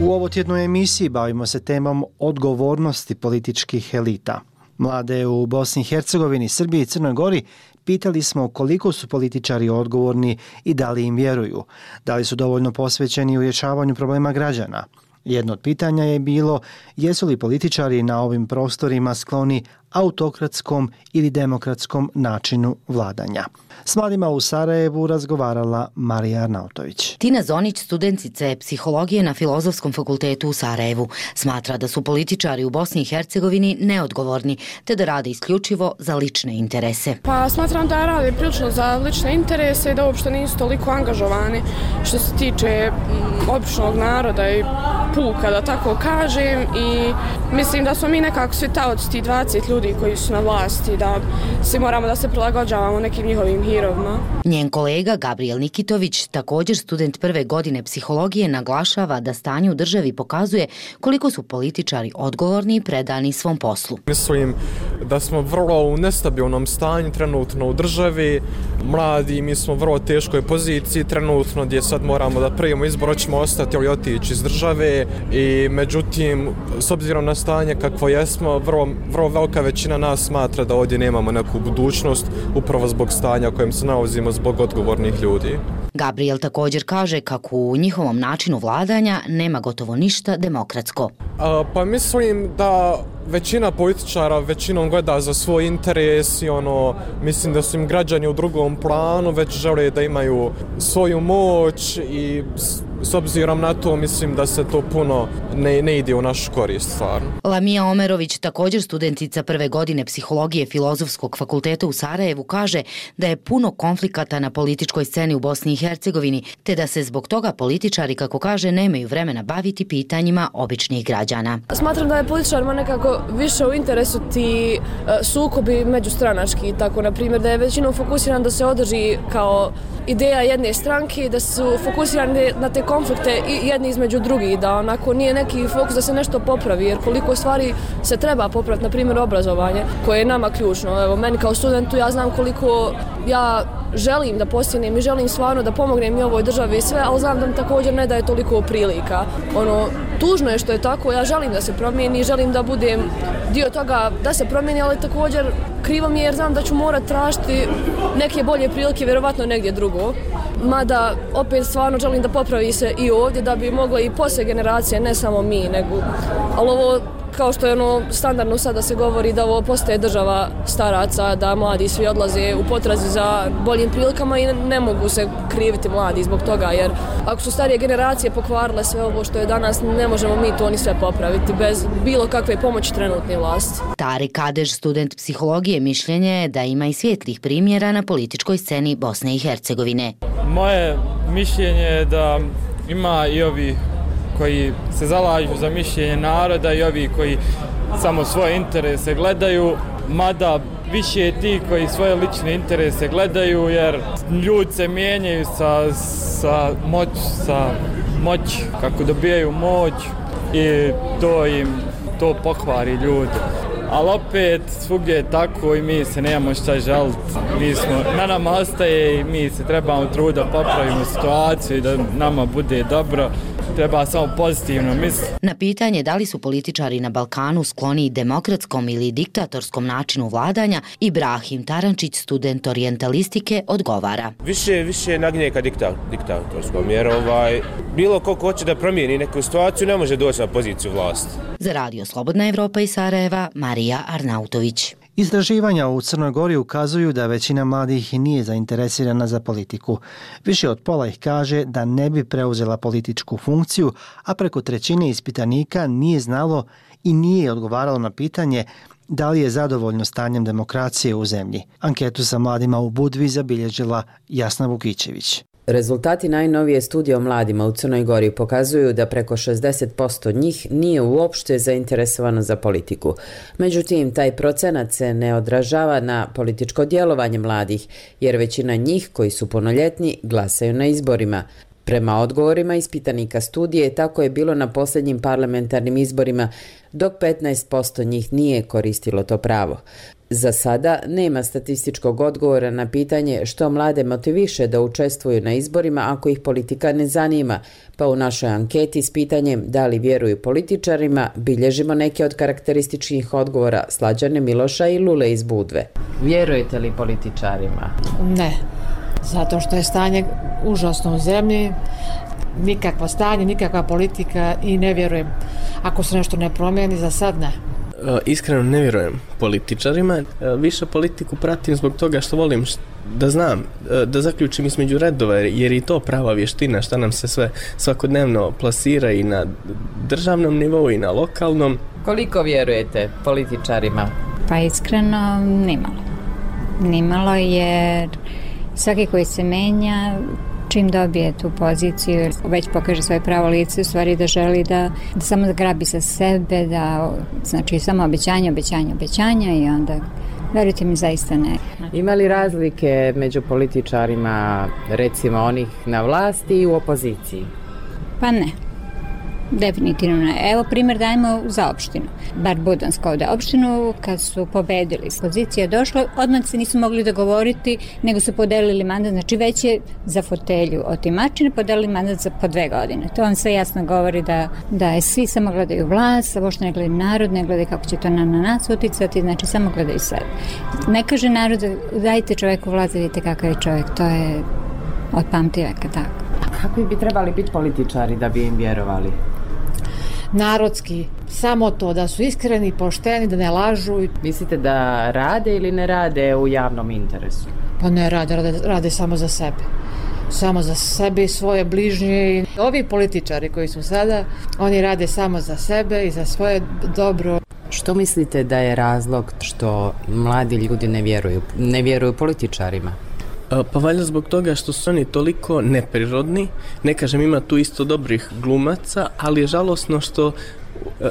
U ovotjednoj emisiji bavimo se temom odgovornosti političkih elita. Mlade u Bosni i Hercegovini, Srbiji i Crnoj Gori pitali smo koliko su političari odgovorni i da li im vjeruju, da li su dovoljno posvećeni u rješavanju problema građana. Jedno od pitanja je bilo jesu li političari na ovim prostorima skloni autokratskom ili demokratskom načinu vladanja. S mladima u Sarajevu razgovarala Marija Arnautović. Tina Zonić, studentica je psihologije na Filozofskom fakultetu u Sarajevu. Smatra da su političari u Bosni i Hercegovini neodgovorni, te da rade isključivo za lične interese. Pa smatram da rade prilično za lične interese i da uopšte nisu toliko angažovani što se tiče m, običnog naroda i puka, da tako kažem, i mislim da smo mi nekako svi taoci ti dvadeset ljudi koji su na vlasti, da svi moramo da se prilagođavamo nekim njihovim hirovima. Njen kolega Gabriel Nikitović, također student prve godine psihologije, naglašava da stanje u državi pokazuje koliko su političari odgovorni i predani svom poslu. Mislim da smo vrlo u nestabilnom stanju trenutno u državi. Mladi, mi smo u vrlo teškoj poziciji trenutno gdje sad moramo da prijemo izbor, hoćemo ostati ili otići iz države, i međutim, s obzirom na stanje kakvo jesmo, vrlo, vrlo velika većina nas smatra da ovdje nemamo neku budućnost upravo zbog stanja u kojem se nalazimo, zbog odgovornih ljudi. Gabriel također kaže kako u njihovom načinu vladanja nema gotovo ništa demokratsko. A, pa mislim da većina političara većinom gleda za svoj interes i ono, mislim da su im građani u drugom planu, već žele da imaju svoju moć i s obzirom na to mislim da se to puno ne, ne ide u našu korist stvarno. Lamija Omerović, također studentica prve godine psihologije Filozofskog fakulteta u Sarajevu, kaže da je puno konflikata na političkoj sceni u Bosni i Hercegovini, te da se zbog toga političari, kako kaže, nemaju vremena baviti pitanjima običnih građana. Smatram da je političarima nekako više u interesu ti uh, sukobi međustranački, tako na primjer da je većinom fokusiran da se održi kao ideja jedne stranke, da su fokusirani na te konflikte i jedni između drugih, da onako nije neki fokus da se nešto popravi, jer koliko stvari se treba popraviti, na primjer obrazovanje, koje je nama ključno. Evo, meni kao studentu ja znam koliko ja želim da postignem i želim stvarno da pomognem i ovoj državi i sve, ali znam da mi također ne daje toliko prilika. Ono, tužno je što je tako, ja želim da se promijeni, želim da budem dio toga da se promijeni, ali također krivo mi je jer znam da ću morat tražiti neke bolje prilike, vjerovatno negdje drugo. Mada opet stvarno želim da popravi se i ovdje, da bi mogle i poslije generacije, ne samo mi, nego, ali ovo kao što je ono standardno sada se govori da ovo postaje država staraca, da mladi svi odlaze u potrazi za boljim prilikama i ne mogu se kriviti mladi zbog toga, jer ako su starije generacije pokvarile sve ovo što je danas, ne možemo mi to ni sve popraviti bez bilo kakve pomoći trenutne vlasti. Tarik Kadež, student psihologije, mišljenje je da ima i svijetlih primjera na političkoj sceni Bosne i Hercegovine. Moje mišljenje je da ima i ovi koji se zalažu za mišljenje naroda i ovi koji samo svoje interese gledaju, mada više je ti koji svoje lične interese gledaju, jer ljudi se mijenjaju sa, sa moć, sa moć, kako dobijaju moć i to im to pokvari ljude. ali opet svugdje je tako i mi se nemamo šta žaliti. Mi smo, na nama ostaje i mi se trebamo truditi da popravimo situaciju i da nama bude dobro. Treba samo pozitivno misliti. Na pitanje da li su političari na Balkanu skloniji demokratskom ili diktatorskom načinu vladanja, Ibrahim Tarančić, student orijentalistike, odgovara. Više, više nagnje ka dikta, diktatorskom, jer ovaj, bilo ko hoće da promijeni neku situaciju ne može doći na poziciju vlasti. Za Radio Slobodna Evropa iz Sarajeva, Marija Arnautović. Istraživanja u Crnoj Gori ukazuju da većina mladih nije zainteresirana za politiku. Više od pola ih kaže da ne bi preuzela političku funkciju, a preko trećine ispitanika nije znalo i nije odgovaralo na pitanje da li je zadovoljno stanjem demokracije u zemlji. Anketu sa mladima u Budvi zabilježila Jasna Vukićević. Rezultati najnovije studije o mladima u Crnoj Gori pokazuju da preko šezdeset posto njih nije uopšte zainteresovano za politiku. Međutim, taj procenat se ne odražava na političko djelovanje mladih, jer većina njih koji su punoljetni glasaju na izborima. Prema odgovorima ispitanika studije, tako je bilo na posljednjim parlamentarnim izborima, dok petnaest posto njih nije koristilo to pravo. Za sada nema statističkog odgovora na pitanje što mlade motiviše da učestvuju na izborima ako ih politika ne zanima, pa u našoj anketi s pitanjem da li vjeruju političarima bilježimo neke od karakterističnih odgovora Slađane Miloša i Lule iz Budve. Vjerujete li političarima? Ne, zato što je stanje užasno u zemlji, nikakvo stanje, nikakva politika i ne vjerujem. Ako se nešto ne promijeni, za sad ne. Iskreno ne vjerujem političarima, više politiku pratim zbog toga što volim da znam, da zaključim između redova, jer i to prava vještina šta nam se sve svakodnevno plasira i na državnom nivou i na lokalnom. Koliko vjerujete političarima? Pa iskreno nimalo. Nimalo jer svaki koji se menja čim dobije tu poziciju, već pokaže svoje pravo lice, u stvari da želi da, da samo da grabi sa sebe, da, znači samo obećanja, obećanja, obećanja i onda, verujte mi, zaista ne. Ima li razlike među političarima, recimo onih na vlasti i u opoziciji? Pa ne. Definitivno ne. Evo primjer dajemo za opštinu. Bar Budansko ovdje. Opštinu kad su pobedili, pozicija je došla, odmah se nisu mogli dogovoriti, nego su podelili mandat, znači već je za fotelju otimačine podelili mandat za po dve godine. To vam sve jasno govori da, da je svi samo gledaju vlast, a uopšte ne gledaju narod, ne gledaju kako će to na, na nas uticati, znači samo gledaju sebe. Ne kaže narod, dajte čovjeku vlast, vidite kakav je čovjek, to je od pamtiveka tako. A kako bi trebali biti političari da bi im vjerovali? Narodski, samo to, da su iskreni, pošteni, da ne lažu. Mislite da rade ili ne rade u javnom interesu? Pa ne rade, rade, rade samo za sebe. Samo za sebe i svoje bližnje. Ovi političari koji su sada, oni rade samo za sebe i za svoje dobro. Što mislite da je razlog što mladi ljudi ne vjeruju, ne vjeruju političarima? Pa valjda zbog toga što su oni toliko neprirodni, ne kažem ima tu isto dobrih glumaca, ali je žalosno što,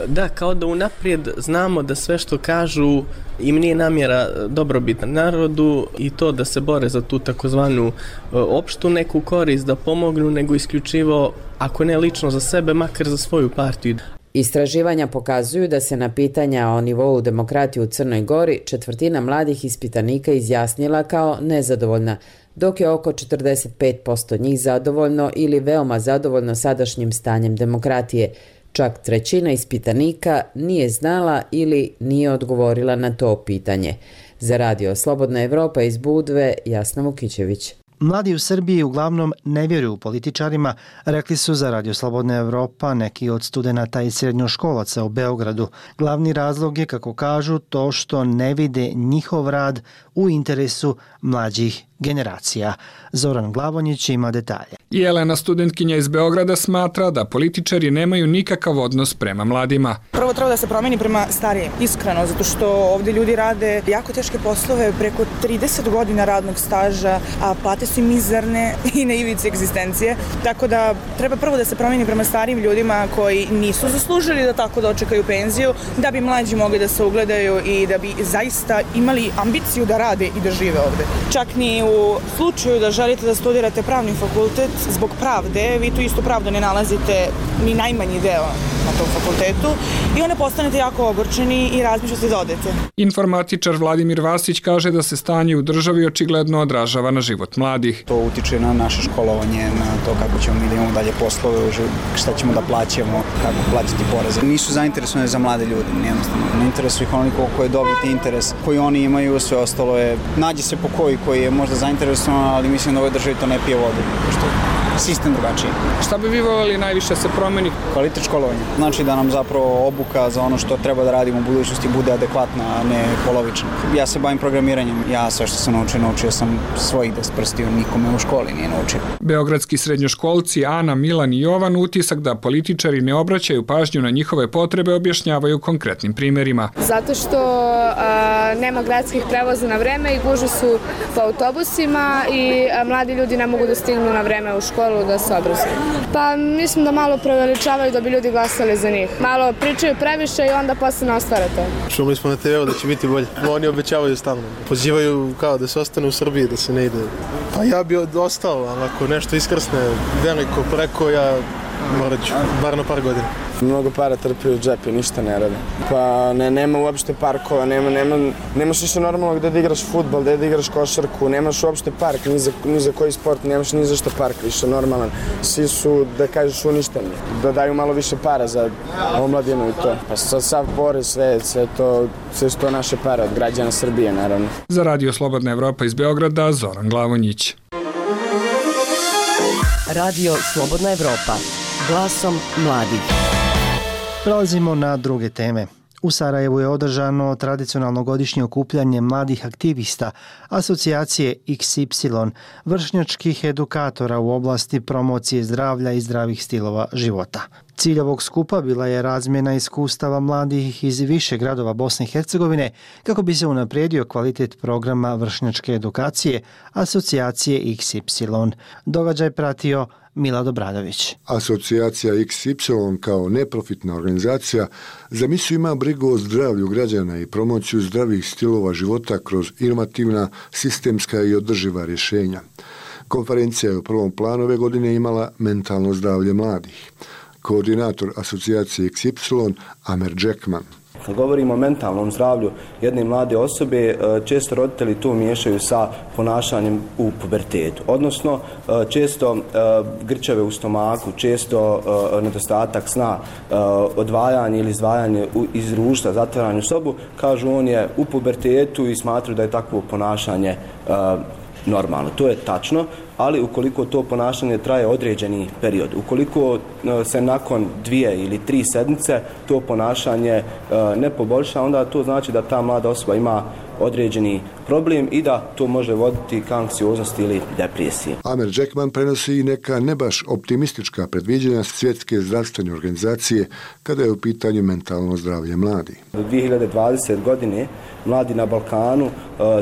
da, kao da unaprijed znamo da sve što kažu im nije namjera dobrobit narodu i to da se bore za tu takozvanu opštu neku korist, da pomognu, nego isključivo, ako ne lično za sebe, makar za svoju partiju. Istraživanja pokazuju da se na pitanja o nivou demokratije u Crnoj Gori četvrtina mladih ispitanika izjasnila kao nezadovoljna, dok je oko četrdeset pet posto njih zadovoljno ili veoma zadovoljno sadašnjim stanjem demokratije. Čak trećina ispitanika nije znala ili nije odgovorila na to pitanje. Za Radio Slobodna Evropa iz Budve, Jasna Vukićević. Mladi u Srbiji uglavnom ne vjeruju političarima, rekli su za Radio Slobodna Evropa neki od studenata i srednjoškolaca u Beogradu. Glavni razlog je, kako kažu, to što ne vide njihov rad u interesu mlađih generacija. Zoran Glavonjić ima detalje. Jelena, studentkinja iz Beograda, smatra da političari nemaju nikakav odnos prema mladima. Prvo treba da se promeni prema starijim, iskreno, zato što ovdje ljudi rade jako teške poslove, preko trideset godina radnog staža, a plate su mizerne i na ivici egzistencije. Tako da treba prvo da se promeni prema starijim ljudima koji nisu zaslužili da tako dočekaju penziju, da bi mlađi mogli da se ugledaju i da bi zaista imali ambiciju da rade i da žive ovdje. Čak ni u slučaju da želite da studirate pravni fakultet zbog pravde, vi tu istu pravdu ne nalazite ni najmanji deo na tom fakultetu i onda postanete jako ogorčeni i razmišljate da odete. Informatičar Vladimir Vasić kaže da se stanje u državi očigledno odražava na život mladih. To utiče na naše školovanje, na to kako ćemo mi da imamo dalje poslove, šta ćemo da plaćamo, kako plaćati poreze. Nisu zainteresovani za mlade ljude, jednostavno. Ne interesuju ih onoliko koji je dobiti interes koji oni imaju, sve ostalo je, nađe se po koji koji je možda zainteresovan, ali mislim da ovoj državi to ne pije vodu, pošto sistem drugačiji. Šta bi vi voljeli najviše se promeni? Kvalitet školovanja. Znači da nam zapravo obuka za ono što treba da radimo u budućnosti bude adekvatna, a ne polovična. Ja se bavim programiranjem. Ja sve što sam naučio, naučio sam svojih deset prstiju, nikome u školi nije naučio. Beogradski srednjoškolci Ana, Milan i Jovan utisak da političari ne obraćaju pažnju na njihove potrebe objašnjavaju konkretnim primjerima. Zato što a, nema gradskih prevoza na vreme i gužve su po autobusima i a, mladi ljudi ne mogu da stignu na vreme u školu da se obrazuju. Pa mislim da malo preveličavaju da bi ljudi glasali za njih. Malo pričaju previše i onda posle ne ostvare to. Čuli smo na te veu da će biti bolje. Oni obećavaju stalno. Pozivaju kao da se ostane u Srbiji, da se ne ide. Pa ja bi ostao, ali ako nešto iskrsne veliko preko, ja morat ću, bar na par godina. Mnogo para trpi u džepi, ništa ne rade. Pa ne, nema uopšte parkova, nema, nema, nemaš više normalno gde da igraš fudbal, gde da igraš košarku, nemaš uopšte park, ni za, ni za koji sport, nemaš ni za što park više normalan. Svi su, da kažeš, uništeni, da daju malo više para za omladinu i to. Pa sad sav porez, sve, sve, to, sve su to naše pare od građana Srbije, naravno. Za Radio Slobodna Evropa iz Beograda, Zoran Glavonjić. Radio Slobodna Evropa, glasom mladih. Prelazimo na druge teme. U Sarajevu je održano tradicionalno godišnje okupljanje mladih aktivista asocijacije iks ipsilon, vršnjačkih edukatora u oblasti promocije zdravlja i zdravih stilova života. Cilj ovog skupa bila je razmjena iskustava mladih iz više gradova Bosne i Hercegovine kako bi se unaprijedio kvalitet programa vršnjačke edukacije asocijacije iks ipsilon. Događaj pratio Mila Dobradović. Asocijacija iks ipsilon kao neprofitna organizacija za misiju ima brigu o zdravlju građana i promociju zdravih stilova života kroz inovativna, sistemska i održiva rješenja. Konferencija je u prvom planu ove godine imala mentalno zdravlje mladih. Koordinator asocijacije iks ipsilon Amer Džekman. Kad govorimo o mentalnom zdravlju jedne mlade osobe, često roditelji to miješaju sa ponašanjem u pubertetu. Odnosno, često grčeve u stomaku, često nedostatak sna, odvajanje ili izdvajanje iz društva, zatvaranje u sobu, kažu on je u pubertetu i smatruju da je takvo ponašanje normalno. To je tačno, ali ukoliko to ponašanje traje određeni period, ukoliko se nakon dvije ili tri sedmice to ponašanje ne poboljša, onda to znači da ta mlada osoba ima određeni problem i da to može voditi ka anksioznosti ili depresiji. Amer Džekman prenosi i neka ne baš optimistička predviđanja Svjetske zdravstvene organizacije kada je u pitanju mentalno zdravlje mladih. Do dvije hiljade dvadesete. godine mladi na Balkanu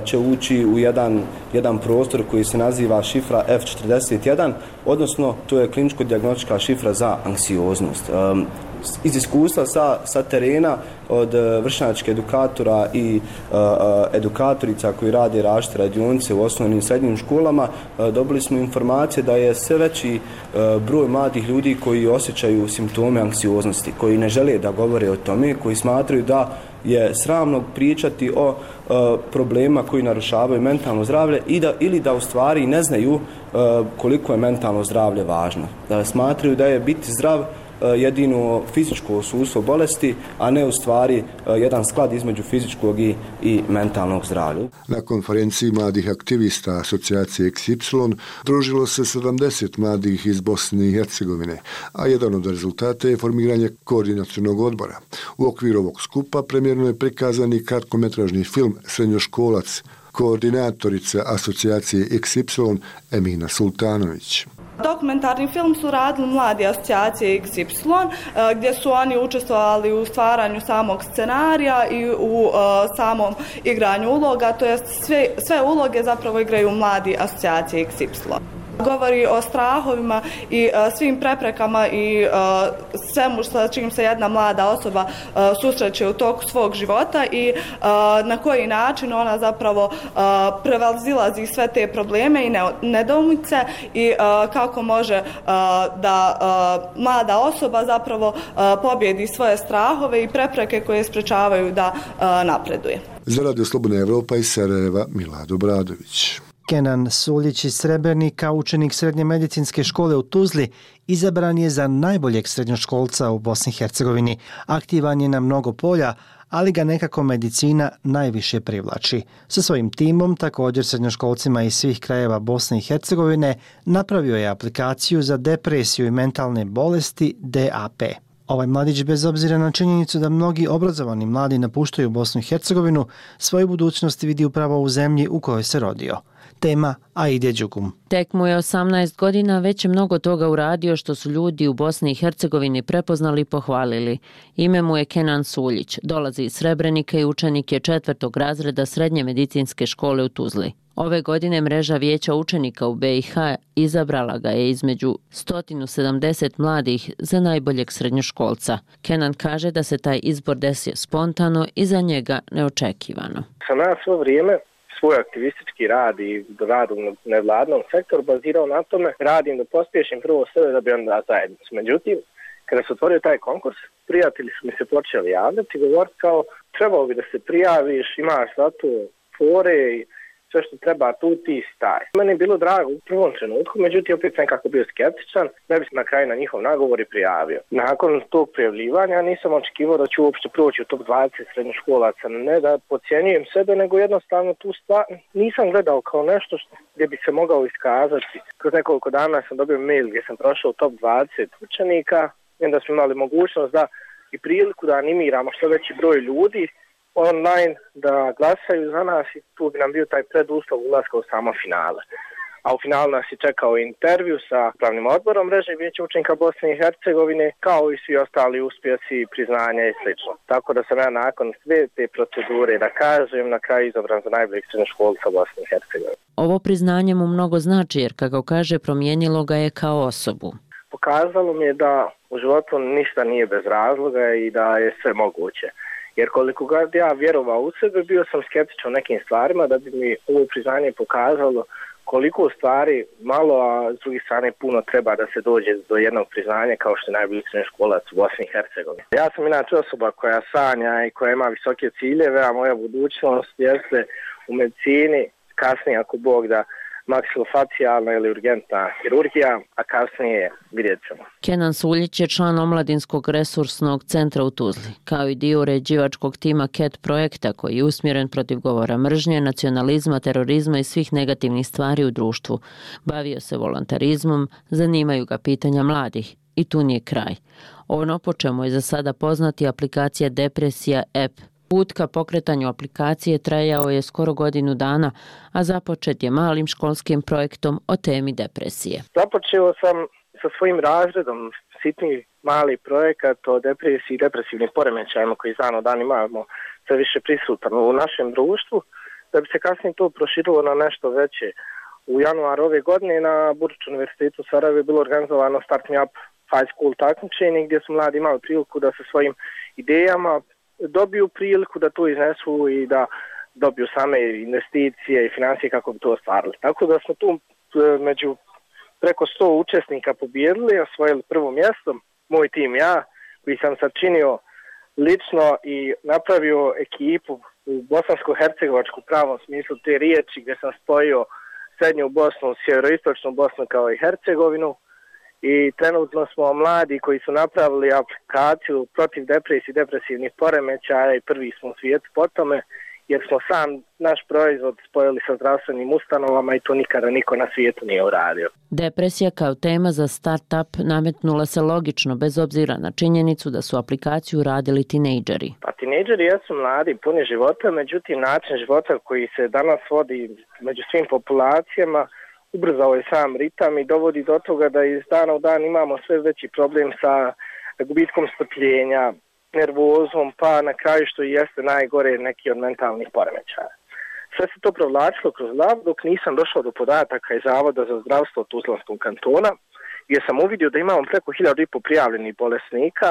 će ući u jedan, jedan prostor koji se naziva šifra F četrdeset jedan, odnosno to je kliničko-dijagnostička šifra za anksioznost. Iz iskustva sa, sa terena od vršnjačkih edukatora i uh, edukatorica koji rade različite radionice u osnovnim i srednjim školama, uh, dobili smo informacije da je sve veći uh, broj mladih ljudi koji osjećaju simptome anksioznosti, koji ne žele da govore o tome, koji smatraju da je sramno pričati o uh, problema koji narušavaju mentalno zdravlje i da, ili da u stvari ne znaju uh, koliko je mentalno zdravlje važno. Da smatraju da je biti zdrav jedino fizičko osustvo bolesti, a ne u stvari jedan sklad između fizičkog i, i mentalnog zdravlja. Na konferenciji mladih aktivista asocijacije iks ipsilon družilo se sedamdeset mladih iz Bosne i Hercegovine, a jedan od rezultata je formiranje koordinacionog odbora. U okviru ovog skupa premjerno je prikazan i kratkometražni film Srednjoškolac, koordinatorica asocijacije iks ipsilon Emina Sultanović. Dokumentarni film su radili mladi asocijacije iks ipsilon, gdje su oni učestvovali u stvaranju samog scenarija i u uh, samom igranju uloga, to jest sve, sve uloge zapravo igraju mladi asocijacije iks ipsilon. Govori o strahovima i svim preprekama i svemu sa čim se jedna mlada osoba susreće u toku svog života i na koji način ona zapravo prevazilazi sve te probleme i nedoumice i kako može da mlada osoba zapravo pobjedi svoje strahove i prepreke koje sprečavaju da napreduje. Za Radio Slobodna Evropa iz Sarajeva, Milado Bradović. Kenan Suljić iz Srebrenika, učenik srednje medicinske škole u Tuzli, izabran je za najboljeg srednjoškolca u Bosni i Hercegovini. Aktivan je na mnogo polja, ali ga nekako medicina najviše privlači. Sa svojim timom, također srednjoškolcima iz svih krajeva Bosne i Hercegovine, napravio je aplikaciju za depresiju i mentalne bolesti D A P. Ovaj mladić, bez obzira na činjenicu da mnogi obrazovani mladi napuštaju Bosnu i Hercegovinu, svoju budućnost vidi upravo u zemlji u kojoj se rodio. Tema Aide Đugum. Tek mu je osamnaest godina, već je mnogo toga uradio što su ljudi u Bosni i Hercegovini prepoznali i pohvalili. Ime mu je Kenan Suljić, dolazi iz Srebrenika i učenik je četvrtog razreda srednje medicinske škole u Tuzli. Ove godine mreža vijeća učenika u B i H izabrala ga je između sto sedamdeset mladih za najboljeg srednjoškolca. Kenan kaže da se taj izbor desio spontano i za njega neočekivano. Sam ja svo vrijeme svoj aktivistički rad i rad u nevladnom sektoru bazirao na tome, radim da pospješim prvo sebe da bi onda zajednicu. Međutim, kada se otvorio taj konkurs, prijatelji su mi se počeli javljati i govoriti kao trebalo bi da se prijaviš, imaš za to fore i sve što treba tu ti staj. Meni je bilo drago u prvom trenutku, međutim opet sam kako bio skeptičan, da bi se na kraju na njihov nagovor i prijavio. Nakon tog prijavljivanja nisam očekivao da ću uopšte proći u top dvadeset srednjoškolaca. Ne da podcjenjujem sebe, nego jednostavno tu stvar nisam gledao kao nešto što, gdje bi se mogao iskazati. Kroz nekoliko dana sam dobio mail gdje sam prošao top dvadeset učenika i onda smo imali mogućnost da i priliku da animiramo što veći broj ljudi online da glasaju za nas i tu bi nam bio taj preduslov ulaska u samo finale. A u finalu nas je čekao intervju sa pravnim odborom mreže vijeća učenika Bosne i Hercegovine, kao i svi ostali uspjesi, priznanja i sl. Tako da sam ja nakon sve te procedure, da kažem, na kraju izabran za najboljeg srednjoškolca Bosne i Hercegovine. Ovo priznanje mu mnogo znači jer, kako kaže, promijenilo ga je kao osobu. Pokazalo mi je da u životu ništa nije bez razloga i da je sve moguće. Jer koliko god ja vjerovao u sebe, bio sam skeptičan u nekim stvarima da bi mi ovo priznanje pokazalo koliko stvari malo, a s druge strane puno treba da se dođe do jednog priznanja kao što je najbolji srednjoškolac u Bosni i Hercegovini. Ja sam inače osoba koja sanja i koja ima visoke ciljeve, a moja budućnost jeste u medicini, kasnije ako Bog da, maksilofacijalna ili urgentna hirurgija, a kasnije vidjet ćemo. Kenan Suljić je član omladinskog resursnog centra u Tuzli, kao i dio uređivačkog tima C A T projekta koji je usmjeren protiv govora mržnje, nacionalizma, terorizma i svih negativnih stvari u društvu. Bavio se volontarizmom, zanimaju ga pitanja mladih i tu nije kraj. Ono po čemu je za sada poznati aplikacija Depresija app. Put ka pokretanju aplikacije trajao je skoro godinu dana, a započet je malim školskim projektom o temi depresije. Započeo sam sa svojim razredom sitni mali projekat o depresiji i depresivnim poremećajima koji iz dana u dan imamo sve više prisutan u našem društvu, da bi se kasnije to proširilo na nešto veće. U januaru ove godine na Burč univerzitetu u Sarajevu je bilo organizovano Start Me Up High School takmičenje gdje su mladi imali priliku da sa svojim idejama dobiju priliku da to iznesu i da dobiju same investicije i financije kako bi to ostvarili. Tako da smo tu među preko sto učesnika pobijedili, osvojili prvo mjesto, moj tim ja, koji sam sačinio lično i napravio ekipu u bosansko-hercegovačku pravom smislu te riječi, gdje sam spojio srednju Bosnu, sjeveroistočnu Bosnu kao i Hercegovinu. I trenutno smo mladi koji su napravili aplikaciju protiv depresije i depresivnih poremećaja i prvi smo u svijetu po tome, jer smo sam naš proizvod spojili sa zdravstvenim ustanovama i to nikada niko na svijetu nije uradio. Depresija kao tema za start-up nametnula se logično, bez obzira na činjenicu da su aplikaciju radili tinejdžeri. Pa tinejdžeri jesu mladi, puni života, međutim način života koji se danas vodi među svim populacijama ubrzao je sam ritam i dovodi do toga da iz dana u dan imamo sve veći problem sa gubitkom strpljenja, nervozom, pa na kraju što i jeste najgore neki od mentalnih poremećaja. Sve se to provlačilo kroz lav dok nisam došao do podataka iz Zavoda za zdravstvo Tuzlanskog kantona, gdje sam uvidio da imamo preko hiljadu i po prijavljenih bolesnika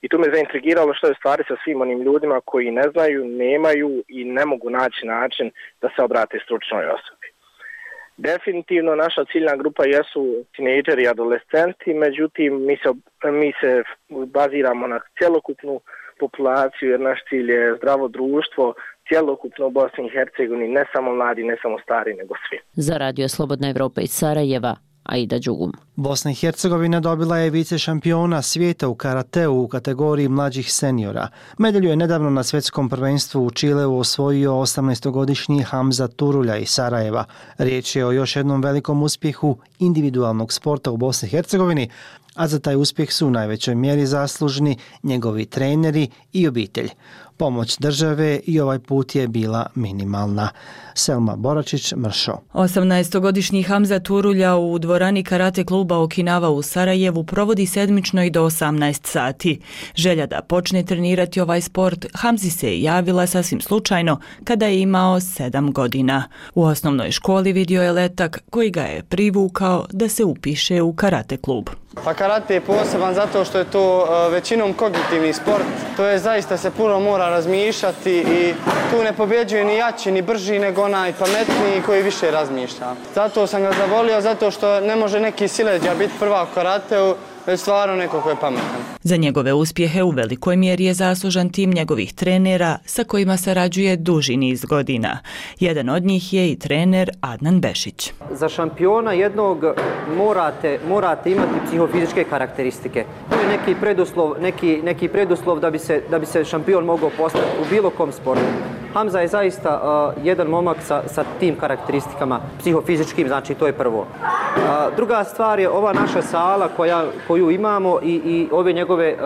i tu me zaintrigiralo što je u stvari sa svim onim ljudima koji ne znaju, nemaju i ne mogu naći način da se obrate stručnoj osobi. Definitivno naša ciljna grupa jesu tinejdžeri i adolescenti, međutim mi se, mi se baziramo na cjelokupnu populaciju jer naš cilj je zdravo društvo, cjelokupno u Bosni i Hercegovini, ne samo mladi, ne samo stari, nego svi. Za Radio Slobodna Evropa iz Sarajeva, Aida Đugum. Bosna i Hercegovina dobila je vice šampiona svijeta u karateu u kategoriji mlađih seniora. Medalju je nedavno na svjetskom prvenstvu u Čileu osvojio osamnaestogodišnji Hamza Turulja iz Sarajeva. Riječ je o još jednom velikom uspjehu individualnog sporta u Bosni i Hercegovini, a za taj uspjeh su u najvećoj mjeri zaslužni njegovi treneri i obitelj. Pomoć države i ovaj put je bila minimalna. Selma Boračić, Mršo. osamnaestogodišnji Hamza Turulja u dvorani karate kluba Okinawa u Sarajevu provodi sedmično i do osamnaest sati. Želja da počne trenirati ovaj sport Hamzi se javila sasvim slučajno kada je imao sedam godina. U osnovnoj školi vidio je letak koji ga je privukao da se upiše u karate klub. Pa karate je poseban zato što je to većinom kognitivni sport. To je zaista se puno mora razmišljati i tu ne pobjeđuje ni jači ni brži nego onaj pametniji koji više razmišlja. Zato sam ga zavolio, zato što ne može neki sileđa biti prvak u karateu, već stvarno neko ko je pametan. Za njegove uspjehe u velikoj mjeri je zaslužan tim njegovih trenera sa kojima sarađuje duži niz godina. Jedan od njih je i trener Adnan Bešić. Za šampiona jednog morate, morate imati psihofizičke karakteristike. To je neki preduslov, neki, neki preduslov da bi se, da bi se šampion mogao postati u bilo kom sportu. Hamza je zaista uh, jedan momak sa, sa tim karakteristikama, psihofizičkim, znači to je prvo. Uh, druga stvar je ova naša sala koja, koju imamo i, i ove njegove uh,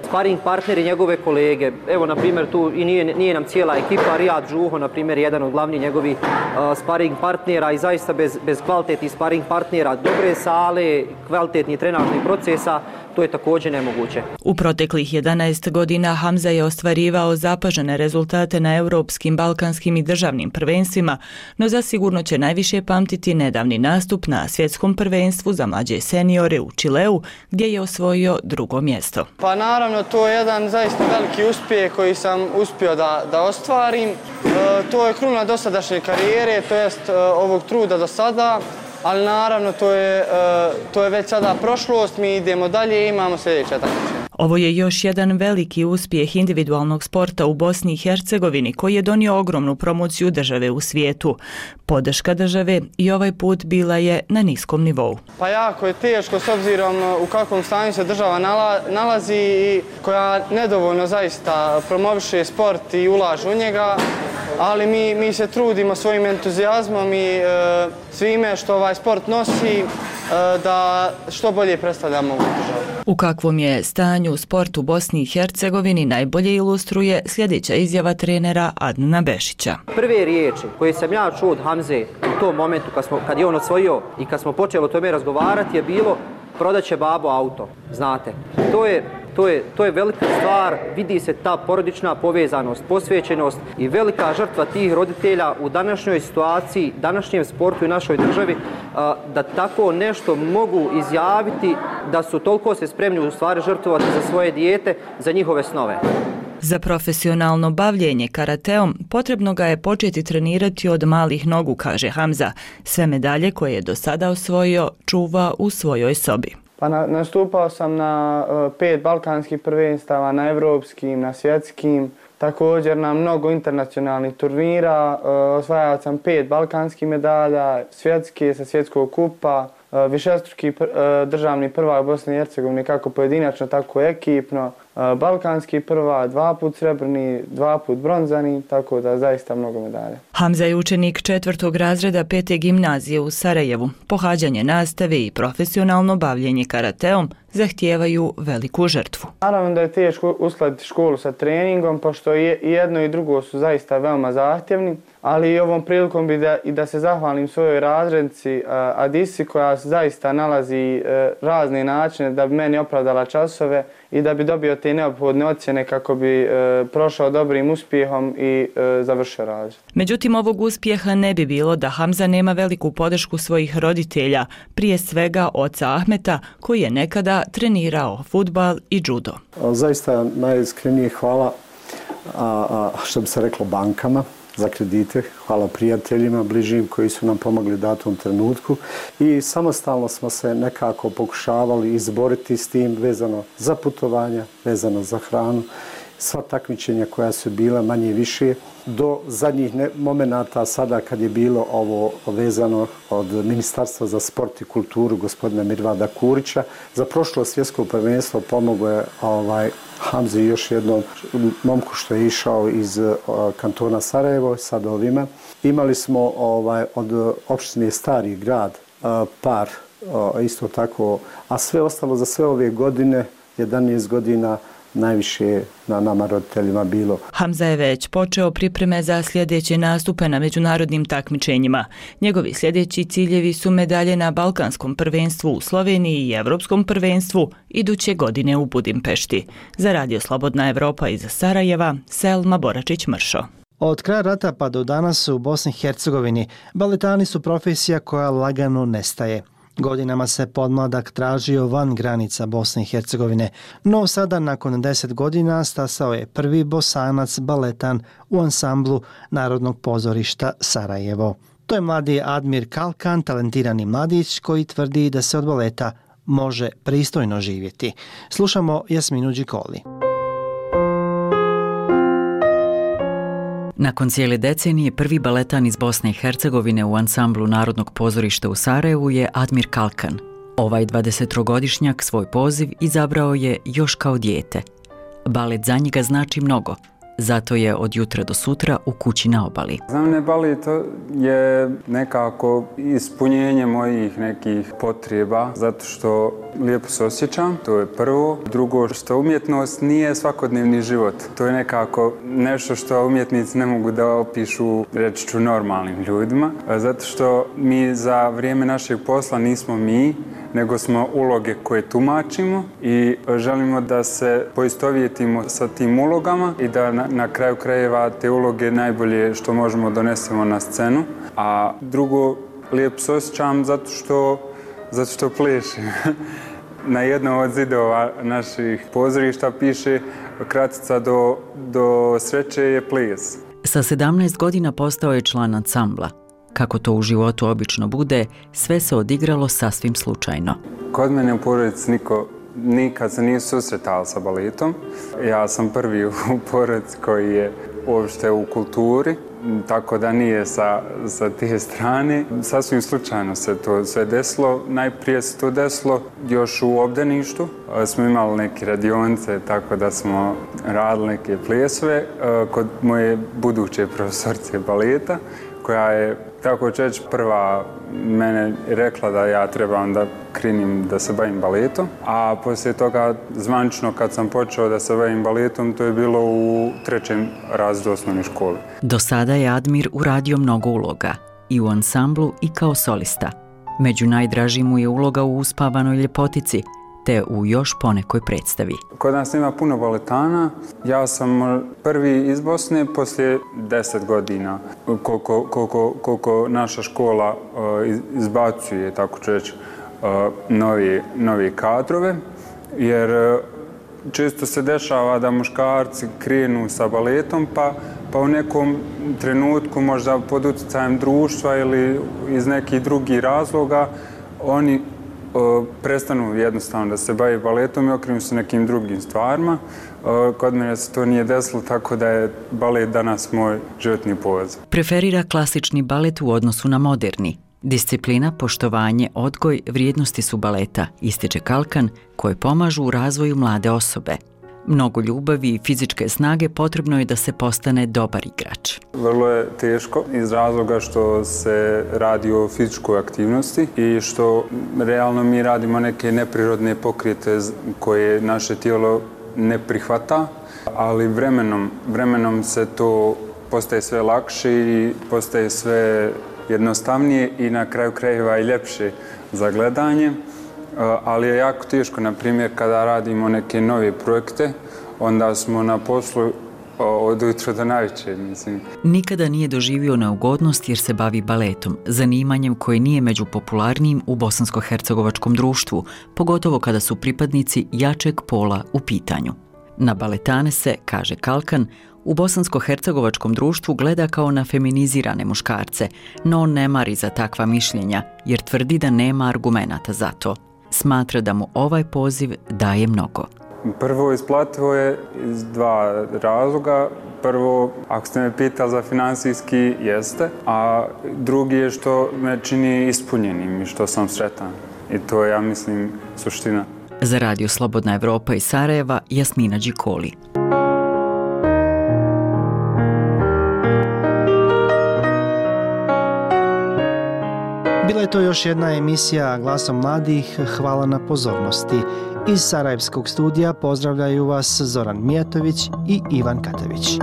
sparing partneri, njegove kolege. Evo, na primjer, tu i nije, nije nam cijela ekipa, Rijad Žuho, na primjer, jedan od glavnih njegovih uh, sparing partnera i zaista bez, bez kvalitetnih sparing partnera, dobre sale, kvalitetnih trenažnih procesa, to je također nemoguće. U proteklih jedanaest godina Hamza je ostvarivao zapažene rezultate na europskim, balkanskim i državnim prvenstvima, no zasigurno će najviše pamtiti nedavni nastup na svjetskom prvenstvu za mlađe seniore u Čileu, gdje je osvojio drugo mjesto. Pa naravno, to je jedan zaista veliki uspjeh koji sam uspio da, da ostvarim. E, to je kruna dosadašnje karijere, to jest e, ovog truda do sada. Ali naravno to je, to je već sada prošlost, mi idemo dalje i imamo sljedeće takmičenje. Ovo je još jedan veliki uspjeh individualnog sporta u Bosni i Hercegovini koji je donio ogromnu promociju države u svijetu. Podrška države i ovaj put bila je na niskom nivou. Pa jako je teško s obzirom u kakvom stanju se država nalazi i koja nedovoljno zaista promoviše sport i ulaže u njega. Ali mi, mi se trudimo svojim entuzijazmom i e, svime što ovaj sport nosi e, da što bolje predstavljamo ovu državu. U kakvom je stanju sport u Bosni i Hercegovini najbolje ilustruje sljedeća izjava trenera Adnana Bešića. Prve riječi koje sam ja čuo od Hamze u tom momentu kad, smo, kad je on osvojio i kad smo počeli o tome razgovarati je bilo prodat će babo auto, znate. To je To je, to je velika stvar, vidi se ta porodična povezanost, posvećenost i velika žrtva tih roditelja u današnjoj situaciji, današnjem sportu i našoj državi, da tako nešto mogu izjaviti, da su toliko se spremni u stvari žrtvovati za svoje dijete, za njihove snove. Za profesionalno bavljenje karateom potrebno ga je početi trenirati od malih nogu, kaže Hamza. Sve medalje koje je do sada osvojio čuva u svojoj sobi. Pa na, nastupao sam na uh, pet balkanskih prvenstava, na evropskim, na svjetskim, također na mnogo internacionalnih turnira. Uh, osvajao sam pet balkanskih medalja, svjetske sa svjetskog kupa, uh, višestruki pr, uh, državni prvak Bosne i Hercegovine, kako pojedinačno, tako ekipno, uh, balkanski prvak, dva put srebrni, dva put bronzani, tako da zaista mnogo medalja. Hamza je učenik četvrtog razreda pete gimnazije u Sarajevu. Pohađanje nastave i profesionalno bavljenje karateom zahtijevaju veliku žrtvu. Naravno da je teško uskladiti školu sa treningom, pošto i jedno i drugo su zaista veoma zahtjevni. ali i ovom prilikom bi da, i da se zahvalim svojoj razrednici Adisi koja zaista nalazi razne načine da bi meni opravdala časove i da bi dobio te neophodne ocjene kako bi prošao dobrim uspjehom i završio razred. Međutim, ovog uspjeha ne bi bilo da Hamza nema veliku podršku svojih roditelja, prije svega oca Ahmeta koji je nekada trenirao fudbal i judo. Zaista najiskrenije hvala a, a, što bi se reklo bankama za kredite, hvala prijateljima, bližim koji su nam pomogli u datom trenutku i samostalno smo se nekako pokušavali izboriti s tim vezano za putovanja, vezano za hranu, sva takmičenja koja su bila manje više do zadnjih momenata sada kad je bilo ovo vezano od Ministarstva za sport i kulturu gospodina Mirvada Kurića. Za prošlo svjetsko prvenstvo pomogao je ovaj, Hamzi još jednom momku što je išao iz uh, kantona Sarajevo sa ovima. Imali smo ovaj, od opštine Stari grad uh, par uh, isto tako, a sve ostalo za sve ove godine, jedanaest godina, najviše na nama roditeljima bilo. Hamza je već počeo pripreme za sljedeće nastupe na međunarodnim takmičenjima. Njegovi sljedeći ciljevi su medalje na Balkanskom prvenstvu u Sloveniji i Evropskom prvenstvu iduće godine u Budimpešti. Za Radio Slobodna Evropa iz Sarajeva, Selma Boračić-Mršo. Od kraja rata pa do danas u Bosni i Hercegovini baletani su profesija koja lagano nestaje. Godinama se podmladak tražio van granica Bosne i Hercegovine, no sada nakon deset godina stasao je prvi Bosanac baletan u ansamblu Narodnog pozorišta Sarajevo. To je mladi Admir Kalkan, talentirani mladić koji tvrdi da se od baleta može pristojno živjeti. Slušamo Jasminu Đikoli. Nakon cijele decenije prvi baletan iz Bosne i Hercegovine u ansamblu Narodnog pozorišta u Sarajevu je Admir Kalkan. Ovaj dvadesettrogodišnjak svoj poziv izabrao je još kao dijete. Balet za njega znači mnogo, zato je od jutra do sutra u kući na obali. Za mene balet je nekako ispunjenje mojih nekih potreba, zato što lijepo se osjećam, to je prvo. Drugo, što umjetnost nije svakodnevni život. To je nekako nešto što umjetnici ne mogu da opišu, reći ću, normalnim ljudima. Zato što mi za vrijeme našeg posla nismo mi, nego smo uloge koje tumačimo i želimo da se poistovjetimo sa tim ulogama i da na, na kraju krajeva te uloge najbolje što možemo donesemo na scenu. A drugo, lijepo se osjećam zato što, zato što plešim. Na jednom od zidova naših pozorišta piše kratica do, do sreće je ples. Sa sedamnaest godina postao je član ansambla. Kako to u životu obično bude, sve se odigralo sasvim slučajno. Kod mene u porodici niko nikad se nije susretao sa baletom. Ja sam prvi u porodici koji je uopšte u kulturi, tako da nije sa, sa te strane. Sasvim slučajno se to sve desilo. Najprije se to desilo još u obdaništu. Smo imali neke radionice, tako da smo radili neke plesove kod moje buduće profesorice baleta, koja je, tako ću reći, prva mene rekla da ja trebam da krenim da se bavim baletom. A poslije toga, zvanično kad sam počeo da se bavim baletom, to je bilo u trećem razredu osnovne škole. Do sada je Admir uradio mnogo uloga, i u ansamblu i kao solista. Među najdražim mu je uloga u Uspavanoj ljepotici, te u još ponekoj predstavi. Kod nas ima puno baletana. Ja sam prvi iz Bosne poslije deset godina, koliko, koliko, koliko naša škola uh, izbacuje, tako ću reći, uh, novi, novi kadrove, jer uh, često se dešava da muškarci krenu sa baletom, pa, pa u nekom trenutku, možda pod utjecajem društva ili iz nekih drugih razloga, oni Uh, prestanu jednostavno da se bavi baletom i okrenu se nekim drugim stvarima. Uh, kod mene se to nije desilo, tako da je balet danas moj životni poziv. Preferira klasični balet u odnosu na moderni. Disciplina, poštovanje, odgoj, vrijednosti su baleta, ističe Kalkan, koje pomažu u razvoju mlade osobe. Mnogo ljubavi i fizičke snage potrebno je da se postane dobar igrač. Vrlo je teško iz razloga što se radi o fizičkoj aktivnosti i što realno mi radimo neke neprirodne pokrete koje naše tijelo ne prihvata, ali vremenom, vremenom se to postaje sve lakše i postaje sve jednostavnije i na kraju krajeva i ljepše za gledanje. Ali je jako teško, na primjer, kada radimo neke nove projekte, onda smo na poslu od utra do navečer, mislim. Nikada nije doživio neugodnost jer se bavi baletom, zanimanjem koje nije među popularnijim u bosansko-hercegovačkom društvu, pogotovo kada su pripadnici jačeg pola u pitanju. Na baletane se, kaže Kalkan, u bosansko-hercegovačkom društvu gleda kao na feminizirane muškarce, no on ne mari za takva mišljenja jer tvrdi da nema argumenata za to. Smatra da mu ovaj poziv daje mnogo. Prvo, isplativo je iz dva razloga. Prvo, ako ste me pitali za finansijski, jeste, a drugi je što me čini ispunjenim i što sam sretan. I to je, ja mislim, suština. Za Radio Slobodna Evropa iz Sarajeva, Jasmina Đikoli. Bila je to još jedna emisija Glasom mladih. Hvala na pozornosti. Iz Sarajevskog studija pozdravljaju vas Zoran Mijatović i Ivan Katavić.